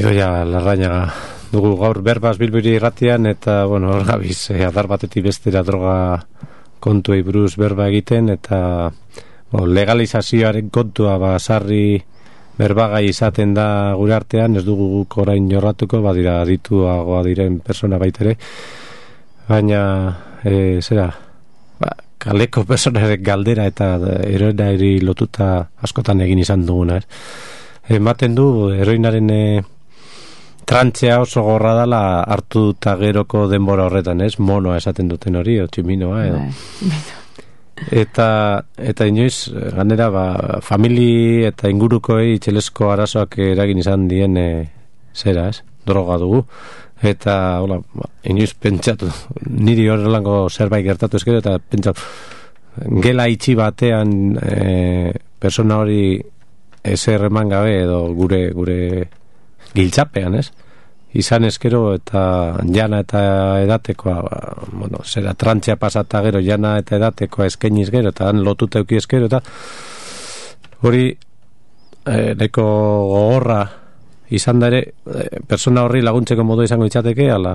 A: Idoia Larrañaga dugu gaur berbaz Bilbiri irratian, eta, bueno, hor gabiz, eh, adar batetik bestera droga kontuei buruz berba egiten, eta bueno, legalizazioaren kontua ba, sarri berbagai izaten da gure artean, ez dugu guk orain jorratuko, badira adituagoa diren persona baitere, baina, e, zera, ba, kaleko personaren galdera eta heroinari lotuta askotan egin izan duguna, ez? Ematen du, heroinaren e, trantzea oso gorra dala hartu eta geroko denbora horretan, ez? Monoa esaten duten hori, o tximinoa, edo. Eta, eta inoiz, ganera, ba, famili eta ingurukoei txelesko arazoak eragin izan dien e, zera, ez? Droga dugu. Eta, hola, ba, inoiz pentsatu, niri horrelango zerbait gertatu ezkero, eta pentsatu, gela itxi batean e, persona hori ezer eman gabe edo gure gure giltzapean, ez? Izan eskero eta jana eta edatekoa, ba, bueno, zera trantzea pasata gero jana eta edatekoa eskainiz gero eta han lotuta euki eskero eta hori eh, neko gogorra izan da ere eh, persona horri laguntzeko modu izango itzateke ala...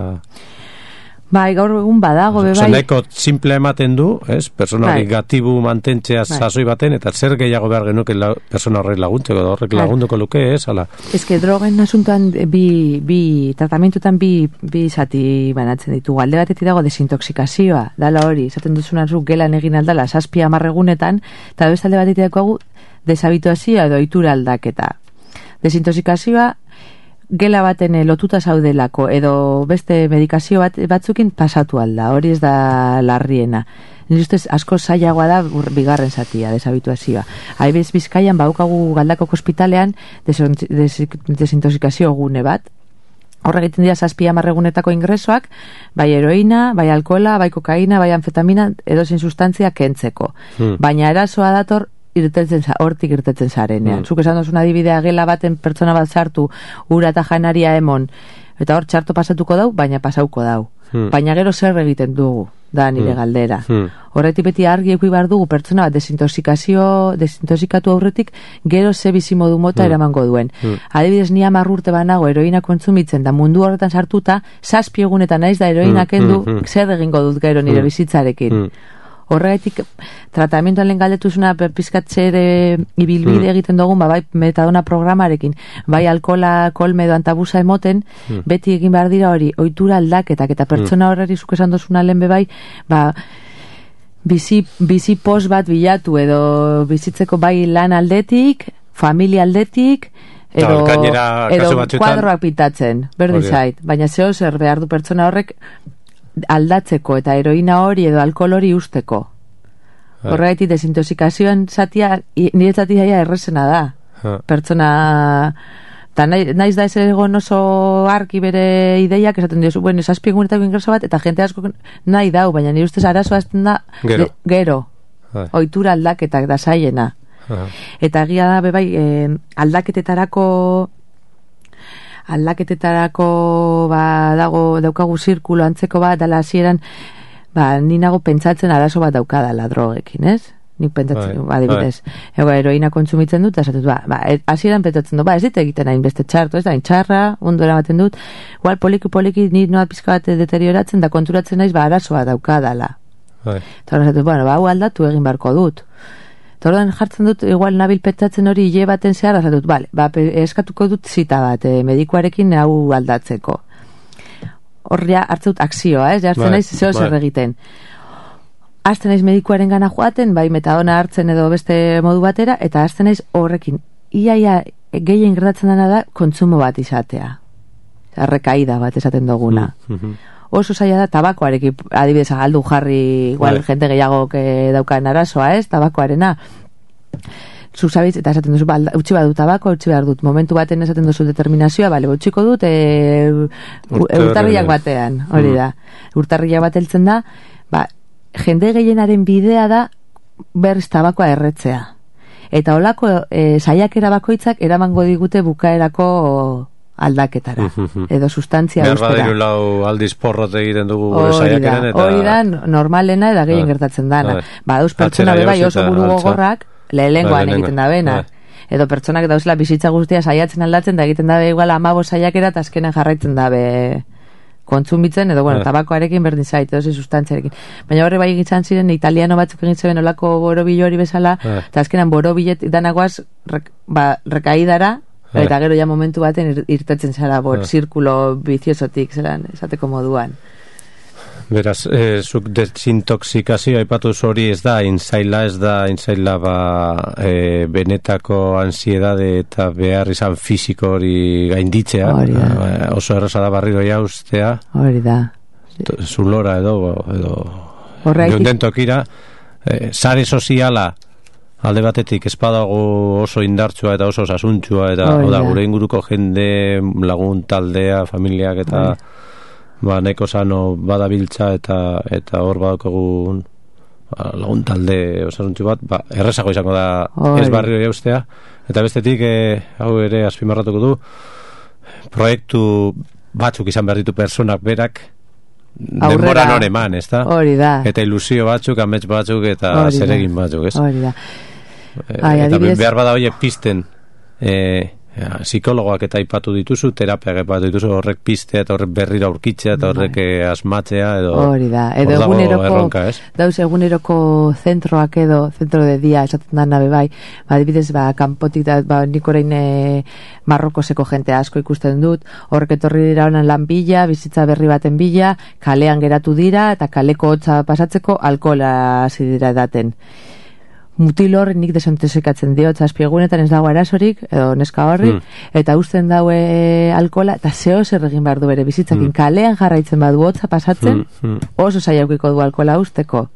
B: Bai, gaur egun badago, be bai.
A: Neko simple ematen du, ez? Persona hori bai. Gatibu mantentzea bai. Sasoi baten, eta zer gehiago behar genuke la, persona horrek laguntzeko, da horrek lagunduko luke, ez? Ala.
B: Ez que drogen asuntoan bi, bi tratamentutan bi, bi zati banatzen ditugu. Alde batetik dago desintoxikazioa, dala hori, esaten duzunan zu gelan egin aldala, saspi amarregunetan, eta beste alde batetik dago desabituazioa edo ohitura aldaketa. Desintoxikazioa gela baten lotuta zaudelako edo beste medikazio bat, batzukin pasatu alda, hori ez da larriena. Nire ustez asko zailagoa da bigarren zatia, desabituazioa. Haibez Bizkaian baukagu Galdakoko ospitalean desintoxikazio gune bat. Horre egiten dira zazpi amarregunetako ingresoak, bai heroina, bai alkohola, bai kokaina, bai anfetamina, edozein sustantzia kentzeko. Hmm. Baina erasoa dator irtetzen hortik irtetzen zarenean. Mm. Zuk esan dozun adibidea gela baten pertsona bat sartu, ura eta janaria emon, eta hor txarto pasatuko dau, baina pasauko dau. Mm. Baina gero zer egiten dugu, da nire mm. galdera. Mm. Horretik beti argi eki behar dugu pertsona bat desintoxikazio, desintoxikatu aurretik, gero ze bizimodu mota mm. eramango duen. Mm. Adibidez, ni hamar urte banago heroina kontsumitzen, da mundu horretan sartuta, zazpi egunetan naiz da heroina kendu, mm. zer egingo dut gero nire mm. bizitzarekin. Mm. Horregatik tratamentuan lehen galdetuzuna pizkatzere ibilbide mm. egiten dugun, ba, bai metadona programarekin, bai alkola, kolme edo antabusa emoten, mm. beti egin behar dira hori, ohitura aldaketak, eta pertsona horreri zuk esan dozuna lehen bebai, ba, bizi, bizi pos bat bilatu, edo bizitzeko bai lan aldetik, familia aldetik, edo, edo kuadroak pitatzen, berdin zait, baina zeo zer behar du pertsona horrek, aldatzeko eta heroina hori edo alkohol hori usteko. Horregatik desintoxikazioan zatia, nire zatia errezena da. Ha. Pertsona, eta nahi, naiz da ez egon oso arki bere ideiak, esaten diozu, bueno, esazpi egunetako ingreso bat, eta jente asko nahi dau, baina nire ustez arazoa azten da, gero, de, gero. Ohitura aldaketak da zaiena. Ha. Eta egia da, bebai, eh, aldaketetarako aldaketetarako ba, dago daukagu zirkulo antzeko bat dala hasieran ba, ni nago pentsatzen arazo bat daukadala drogekin, ez? Nik pentsatzen, bai, adibidez ego heroina kontsumitzen dut, eta esatut, ba, ba hasieran pentsatzen dut, ba, ez dit egiten hain beste txarto, ez da, hain txarra, ondo eramaten dut, igual poliki poliki ni noa pizka bat deterioratzen da konturatzen naiz, ba, arazoa daukadala. Bai. Eta esatut, bueno, ba, hau aldatu egin barko dut. Eta orduan jartzen dut, igual nabil petzatzen hori hile baten zehar, azatut, bale, ba, eskatuko dut zita bat, eh, medikuarekin hau aldatzeko. Horria hartzen dut akzioa, ez? Jartzen naiz zeo zer egiten. Azten naiz medikuaren gana joaten, bai metadona hartzen edo beste modu batera, eta azten naiz horrekin. Iaia gehien gertatzen dena da kontsumo bat izatea. Errekaida bat esaten duguna. Mm-hmm. Oso zaila da tabakoarekin, adibidez aldu jarri igual, right. Jente gehiago daukan arazoa, ez, tabakoarena. Zuzabitz, eta esaten duzu, ba, utzi bat dut tabako, utzi behar dut, momentu baten esaten duzu determinazioa, bale, utxiko dut, e, urtarriak batean, hori da. Urtarriak bat heltzen da, ba, jende gehienaren bidea da, berriz tabakoa erretzea. Eta holako e, saiakera bakoitzak eramango digute bukaerako aldaketara, edo sustantzia ustera.
A: Berba diru lau aldiz porrot egiten dugu gure saiakeren, eta...
B: Hori da, normalena eta gehien gertatzen dana. Ba, dauz pertsona beba oso buru gogorrak, lehengoan egiten da bena. edo pertsonak dauzela bizitza guztia saiatzen aldatzen, da egiten dabe igual hamabost saiakera, eta azkenan jarraitzen dabe kontsumitzen, edo bueno,
A: Eh.
B: tabakoarekin berdin zait, edo sustantziarekin. Baina horre bai egiten ziren, italiano batzuk egin zeben olako borobilo hori bezala,
A: Eh.
B: eta azkenan borobilet danagoaz rek, ba, rekaidara,
A: Eh.
B: eta gero ja momentu baten ir, irtetzen zara bor,
A: Eh.
B: zirkulo biziosotik, zelan, esateko moduan.
A: Beraz, eh, zuk desintoxikazio aipatu hori ez da inzaila, ez da inzaila ba, eh, benetako ansiedade eta behar izan fisiko hori gainditzea.
B: Hori da.
A: Eh, oso erraza da barriro jauztea,
B: Hori da.
A: t- zulora edo, edo
B: Horregatik-
A: geunden tokira, eh, sare soziala alde batetik espadago oso indartsua eta oso sasuntsua, eta
B: Hori
A: oda,
B: da.
A: gure inguruko jende, lagun taldea, familiak eta
B: Hori.
A: ba, neko sano badabiltza eta eta hor badakogun ba, lagun talde osasuntsu bat, ba, errezago izango da
B: Hori.
A: ez barrio jaustea, eta bestetik eh, hau ere azpimarratuko du, proiektu batzuk izan behar ditu personak berak
B: Aurrera.
A: denbora nore eman, ez da?
B: Hori da.
A: Eta ilusio batzuk, amets batzuk eta
B: Hori da.
A: zeregin batzuk, ez?
B: Hori da.
A: Eh,
B: Ai,
A: eta
B: adibidez-
A: behar bada hoiek pisten eh, ja, psikologoak eta aipatu dituzu, terapiak aipatu dituzu, horrek pistea eta horrek berrira aurkitzea eta horrek eh, asmatzea edo
B: Hori da. Edo
A: hor dago
B: eguneroko,
A: erronka, ez?
B: dauz eguneroko zentroak edo, zentro de dia, esaten da nabe bai, ba, adibidez, ba, kanpotik da, ba, nik orain e, Marrokoseko jente asko ikusten dut, horrek etorri dira honan lan bila, bizitza berri baten bila, kalean geratu dira, eta kaleko hotza pasatzeko alkohola hasi dira edaten. Mutil hor nik desintoxikatzen dio, zazpiegunetan ez dago arazorik, edo neska horri,
A: Mm.
B: eta usten daue alkola, eta zeo zer egin behar du bere bizitzakin, kalean jarraitzen badu hotza pasatzen,
A: Mm, mm.
B: oso saiaukiko du alkola usteko.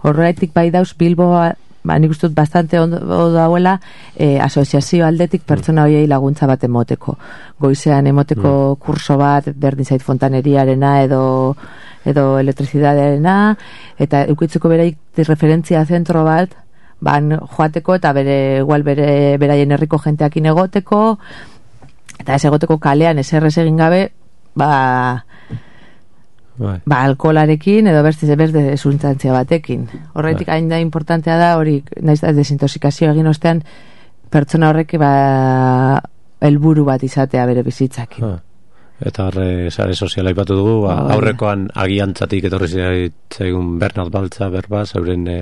B: Horregatik bai dauz Bilbo, ba, nik uste dut bastante ondo ondo dauela, eh, asoziazio aldetik pertsona hoiei laguntza bat emoteko. Goizean emoteko kurso bat, berdin zait fontaneriarena edo edo elektrizidadearena, eta eukitzeko beraik referentzia zentro bat, ban joateko eta bere igual bere beraien herriko jenteakin egoteko, eta ez egoteko kalean eserrez egin gabe, ba
A: Bai.
B: ba, alkoholarekin edo beste beste sustantzia batekin. Horretik hain da importantea da hori, naiz da desintoxikazio egin ostean pertsona horrek ba helburu bat izatea bere bizitzakin.
A: Ah. Eta horre sare soziala aipatu dugu, ba,
B: Hori.
A: aurrekoan agiantzatik etorri zaigun Bernard Baltza berba, zeuren e,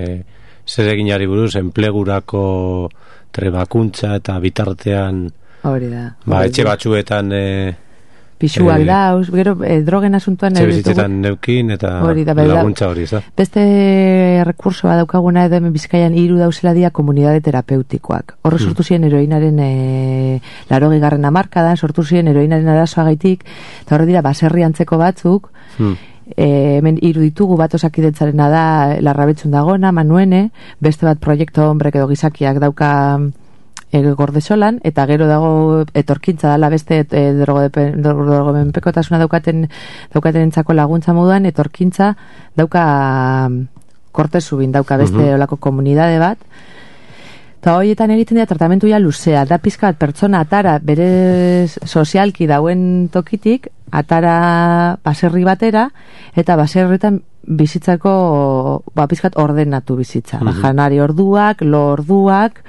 A: zereginari buruz, enplegurako trebakuntza eta bitartean
B: Hori da.
A: ba,
B: Hori
A: etxe
B: da.
A: batzuetan e,
B: Pisuak
A: eh,
B: dauz, gero eh, drogen asuntuan
A: etxe
B: ez dugu-
A: bizitzetan neukin eta
B: Hori da, bai da.
A: laguntza hori, ez da?
B: Beste rekurso bat daukaguna edo hemen Bizkaian hiru dauzela dia komunitate terapeutikoak. Horre sortu ziren heroinaren e, larogi garren hamarkadan, sortu ziren heroinaren arazoagaitik, eta horre dira baserri antzeko batzuk,
A: Hmm.
B: e, hemen hiru ditugu, bat osakidetzarena da Larrabetzun dagona, Manuene, beste bat proiektu hombrek edo gizakiak dauka e, gordesolan, eta gero dago etorkintza dala beste e, drogomenpekotasuna daukaten daukaten entzako laguntza moduan, etorkintza dauka kortezubin, dauka beste
A: Mhm.
B: olako komunidade bat, eta horietan egiten dira tratamentu ja luzea, da pizka bat pertsona atara bere sozialki dauen tokitik, atara baserri batera, eta baserritan bizitzako ba, pizkat ordenatu bizitza. Ba,
A: Mhm.
B: janari orduak, lo orduak,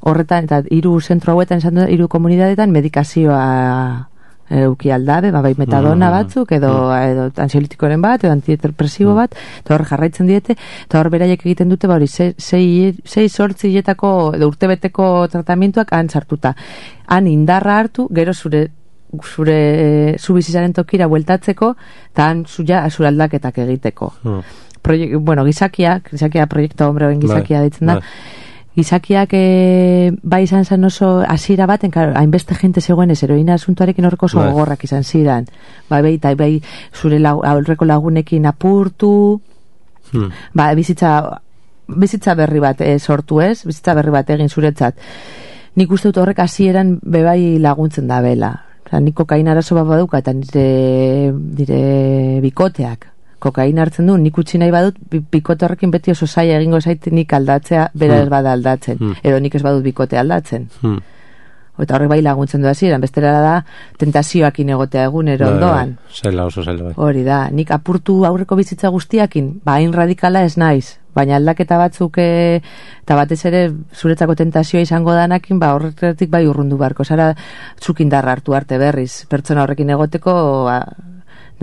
B: horretan, eta hiru zentro hauetan, esan dut, hiru komunidadetan medikazioa euki aldabe, ba, bai metadona
A: Mhm.
B: batzuk, edo, edo ansiolitikoren bat, edo antidepresibo bat, eta hor jarraitzen diete, eta hor beraiek egiten dute, ba, hori, sei, sei, sei sortzi hiletako, edo urtebeteko tratamentuak han sartuta. Han indarra hartu, gero zure zure zu bizitzaren tokira bueltatzeko, eta han zuia zure aldaketak egiteko.
A: Hmm.
B: Proiek, bueno, gizakiak, gizakia proiektu hombre gizakia
A: Bai,
B: ditzen da,
A: bai.
B: gizakiak e, bai izan zen oso hasiera baten, claro, hainbeste jente zegoen ez heroina asuntuarekin horreko oso
A: Bai.
B: gogorrak izan ziren. Bai, bai, eta bai zure lau, aurreko lagunekin apurtu,
A: Hmm.
B: ba, bizitza bizitza berri bat e, sortu ez, bizitza berri bat egin zuretzat. Nik uste dut horrek hasieran bebai laguntzen da bela. Osa, nik kokaina arazo bat baduka, eta nire, nire bikoteak kokaina hartzen du, nik utzi nahi badut, bi- bikote horrekin beti oso zaila egingo zait nik aldatzea, bera ez bada aldatzen,
A: Hmm.
B: edo nik ez badut bikote aldatzen.
A: Hmm.
B: Eta horrek bai laguntzen du hasieran, bestera da tentazioakin egotea egunero ondoan.
A: Zaila oso zaila bai.
B: Hori da, nik apurtu aurreko bizitza guztiakin, ba, hain radikala ez naiz, baina aldaketa batzuk e, eta batez ere zuretzako tentazioa izango danakin, ba, horretik bai urrundu barko, zara zukindarra hartu arte berriz, pertsona horrekin egoteko, ba,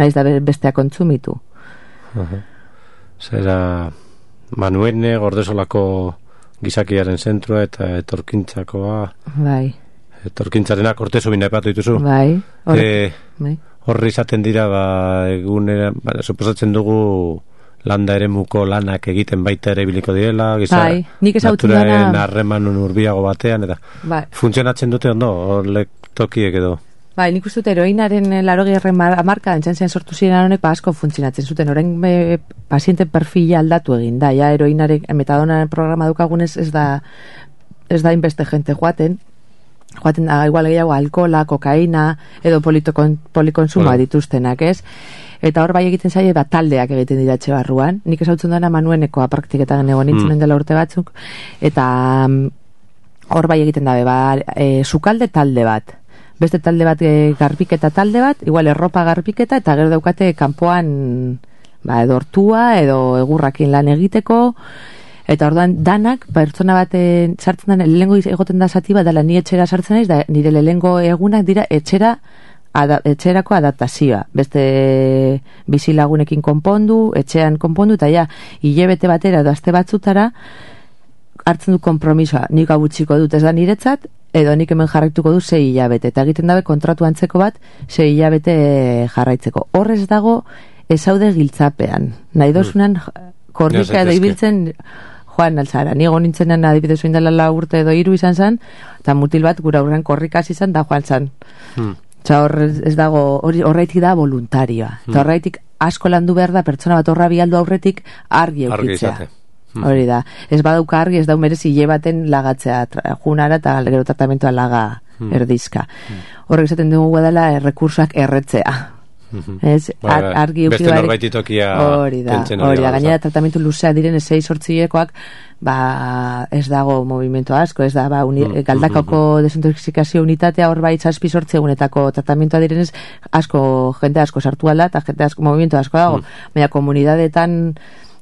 B: naiz da bestea kontsumitu.
A: Uh-huh. Zera, Manuene, Gordesolako gizakiaren zentrua eta etorkintzakoa...
B: Bai.
A: Etorkintzarena kortezo bina epatu dituzu.
B: Bai, horre,
A: e,
B: bai.
A: Horri izaten dira, ba, egunera, ba, suposatzen dugu landa ere muko lanak egiten baita ere biliko direla, giza,
B: bai, nik ezagutzen
A: naturaren harremanun urbiago batean, eta
B: bai.
A: Funtzionatzen dute ondo, horlek tokiek edo.
B: Bai, nik uste dut eroinaren larogehiarren marka entzan zen sortu ziren honek, ba, asko funtzionatzen zuten, orain e, paziente perfila aldatu egin da, ja, eroinaren, metadonaren programa dukagunez ez da, ez da inbeste jente joaten, joaten da, igual gehiago, alkola, kokaina, edo polikonsumoa bueno. dituztenak, ez? Eta hor bai egiten zaie, ba, taldeak egiten dira etxe barruan. Nik ezautzen duena Manuenekoa praktiketan egon nintzen mm. dela urte batzuk, eta hor bai egiten dabe, ba, e, sukalde talde bat. Beste talde bat, e, garbiketa talde bat, igual erropa garbiketa, eta gero daukate kanpoan, ba, edo hortua, edo egurrakin lan egiteko, eta orduan danak, pertsona bat sartzen da, lehengo egoten da zati bat, dela ni etxera sartzen naiz, da nire lehengo egunak dira etxera, ada, etxerako adaptazioa. Beste bizilagunekin konpondu, etxean konpondu, eta ja, hilebete batera edo aste batzutara, hartzen du konpromisoa, nik abutxiko dut ez da niretzat, edo nik hemen jarraituko du sei hilabete, eta egiten dabe kontratu antzeko bat, sei hilabete jarraitzeko. Horrez dago, ezaude giltzapean. Nahi dozunan, korrika edo ibiltzen joan alzara. Ni egon nintzenan adibidez oin dela la urte edo hiru izan zen, eta mutil bat gura aurrean korrikaz izan da joan zen. Hmm. Eta hor ez dago, horreitik da voluntarioa. Hmm. Eta horreitik asko landu behar da, pertsona bat horra bialdu aurretik argi eukitzea. Hmm. Hori da. Ez badauka argi, ez dau merezi hile baten lagatzea, junara eta gero tratamentoa laga hmm. erdizka. Hmm. Horrek esaten dugu dela errekursoak erretzea. Ez, ar, argi
A: beste norbaititokia
B: hori da, hori da, gainera tratamentu luzea diren ezei sortziekoak, ba, ez dago movimento asko, ez da, ba, uni, mm, galdakako mm, desintoxikazio unitatea hor bai zazpi sortzi egunetako tratamentua direnez, asko, jende asko sartu alda, eta jende asko, movimento asko dago, mm. baina komunidadetan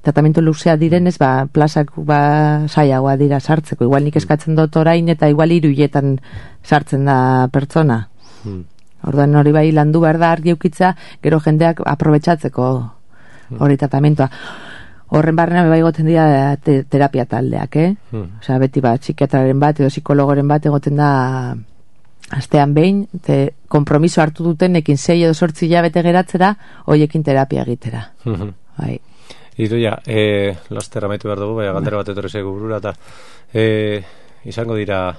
B: tratamentu luzea direnez, ba, plazak ba, saiagoa dira sartzeko, igual nik eskatzen dut orain, eta igual hiruietan sartzen da pertsona. Mm. Orduan hori bai landu behar da argi eukitza, gero jendeak aprobetxatzeko hori tratamentoa. Horren barrena bai goten dira te, terapia taldeak, eh? Hmm. Osea, beti bat, psikiatraren bat edo psikologoren bat egoten da astean behin, te kompromiso hartu duten ekin sei edo sortzi hilabete geratzera, hoiekin terapia egitera. Hmm. Bai.
A: Idoia, e, laster amaitu behar dugu, baina galdera bat etorri zaigu burura, eta e, izango dira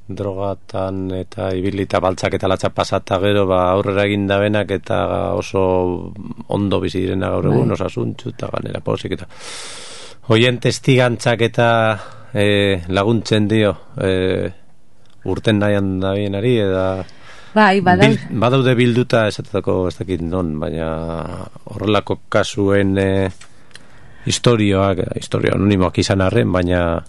A: drogatan eta ibilita baltzak eta latza pasata gero ba aurrera egin da benak eta oso ondo bizi direna gaur egun osasuntsu eta ganera posik eta hoien testigantzak eta e, laguntzen dio e, urten nahian da bienari eta
B: bai, badau...
A: bil, badaude bilduta esatetako ez dakit non, baina horrelako kasuen e, historioak, historio anonimoak izan arren, baina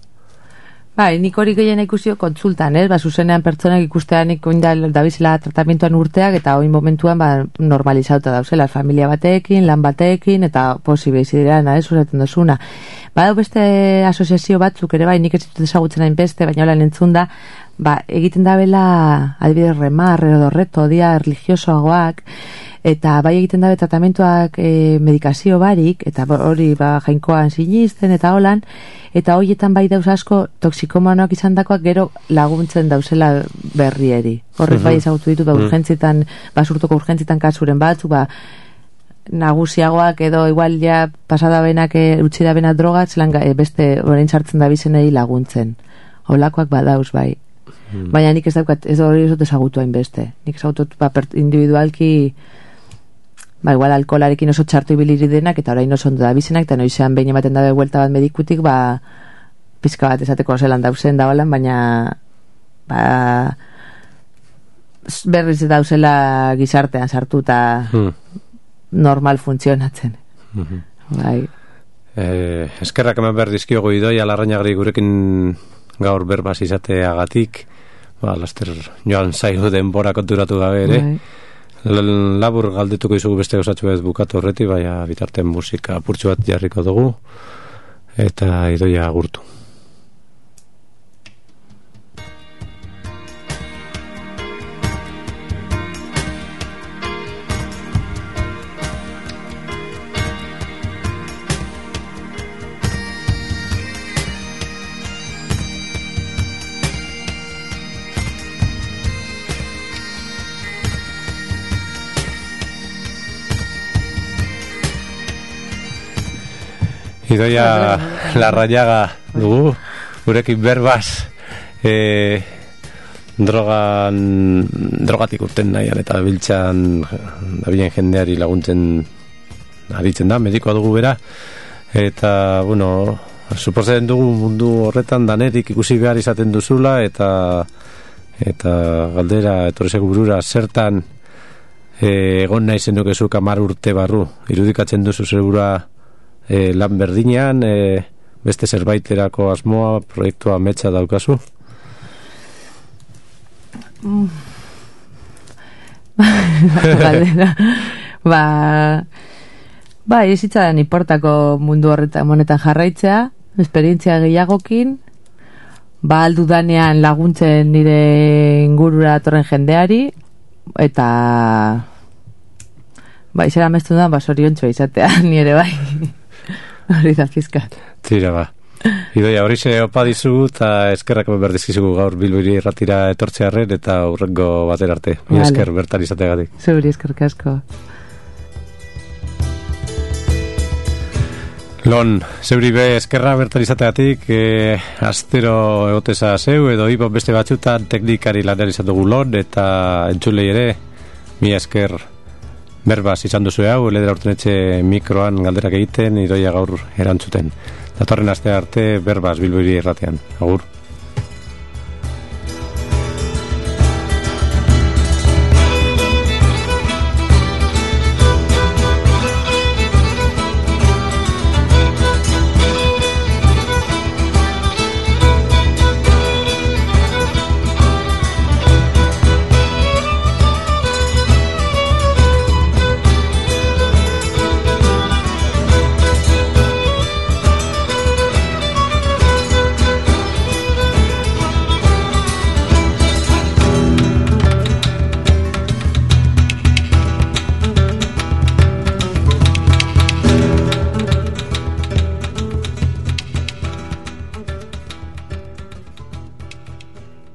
B: bai, nik hori gehiena ikusio kontsultan, eh? Ba, zuzenean pertsonak ikustean ikuin da dabizela tratamentuan urteak eta oin momentuan ba, normalizauta dauzela familia batekin, lan batekin eta posibe izideran, eh? Zuraten dozuna. Badau beste asoziazio batzuk ere bai, nik ez ditut ezagutzen hain beste, baina hola nentzun da, ba, egiten da bela adibidez remar, edo reto, dia religiosoagoak, eta bai egiten dabe tratamentuak e, medikazio barik, eta hori ba, jainkoan sinisten eta holan, eta horietan bai dauz asko toksikomanoak izan dakoak gero laguntzen dauzela berrieri. Horrek bai ezagutu ditu, ba, urgentzitan, basurtoko urgentzitan kasuren batzu, ba, nagusiagoak edo igual ja pasada benak e, utzi da bena drogatz, lan, e, beste orain sartzen da bizenei laguntzen. Holakoak badauz bai. Hmm. Baina nik ez daukat, ez hori ez dut ezagutu hainbeste. Nik ezagutu ba, individualki ba, igual alkolarekin oso txartu ibiliri denak, eta orain oso ondo da bizenak, eta noizean behin ematen dabe buelta bat medikutik, ba, pizka bat esateko zelan dauzen da holan, baina ba, berriz dauzela gizartean sartu eta hmm. normal funtzionatzen. Hmm. Bai.
A: Eh, eskerrak hemen behar dizkiogu Idoia Larrañagri gurekin gaur berbaz izateagatik, ba, laster joan zaigu denbora konturatu gabe ere. L- labur galdetuko izugu beste osatxu ez bukatu horreti, baina bitarten musika apurtxu bat jarriko dugu, eta Idoia agurtu. Idoia Larrañaga dugu, gurekin berbaz e, drogan drogatik urten nahian eta biltzan dabilen jendeari laguntzen aritzen da, medikoa dugu bera, eta, bueno, suposatzen dugu mundu horretan danetik ikusi behar izaten duzula, eta eta galdera etorrezeko burura zertan e, egon nahi zenukezuk hamar urte barru, irudikatzen duzu zerura E, lan berdinean, e, beste zerbaiterako asmoa, proiektua ametsa daukazu?
B: Mm. Galdera. ba, ba, izitzaren iportako mundu horretan monetan jarraitzea, esperientzia gehiagokin, ba, aldudanean laguntzen nire ingurura atorren jendeari, eta ba, izera mestu da, ba, soriontxoa izatea, nire bai. Hori da pizkat.
A: Tira ba. Idoia, hori ze opa dizu eta eskerrak berdizkizugu gaur Bilbiri erratira etortzearren eta hurrengo batera arte. Mi vale. Esker bertan izategatik.
B: Zuri eskerrik asko.
A: Lon, zeuri be eskerra bertan izategatik, e, astero egoteza zeu edo ibon beste batzutan teknikari lanean izan dugu Lon eta entzulei ere, mi esker berbaz izan duzu hau, ledera urtenetxe mikroan galderak egiten, Idoia gaur erantzuten. Datorren aste arte berbaz Bilbiri erratean. Agur.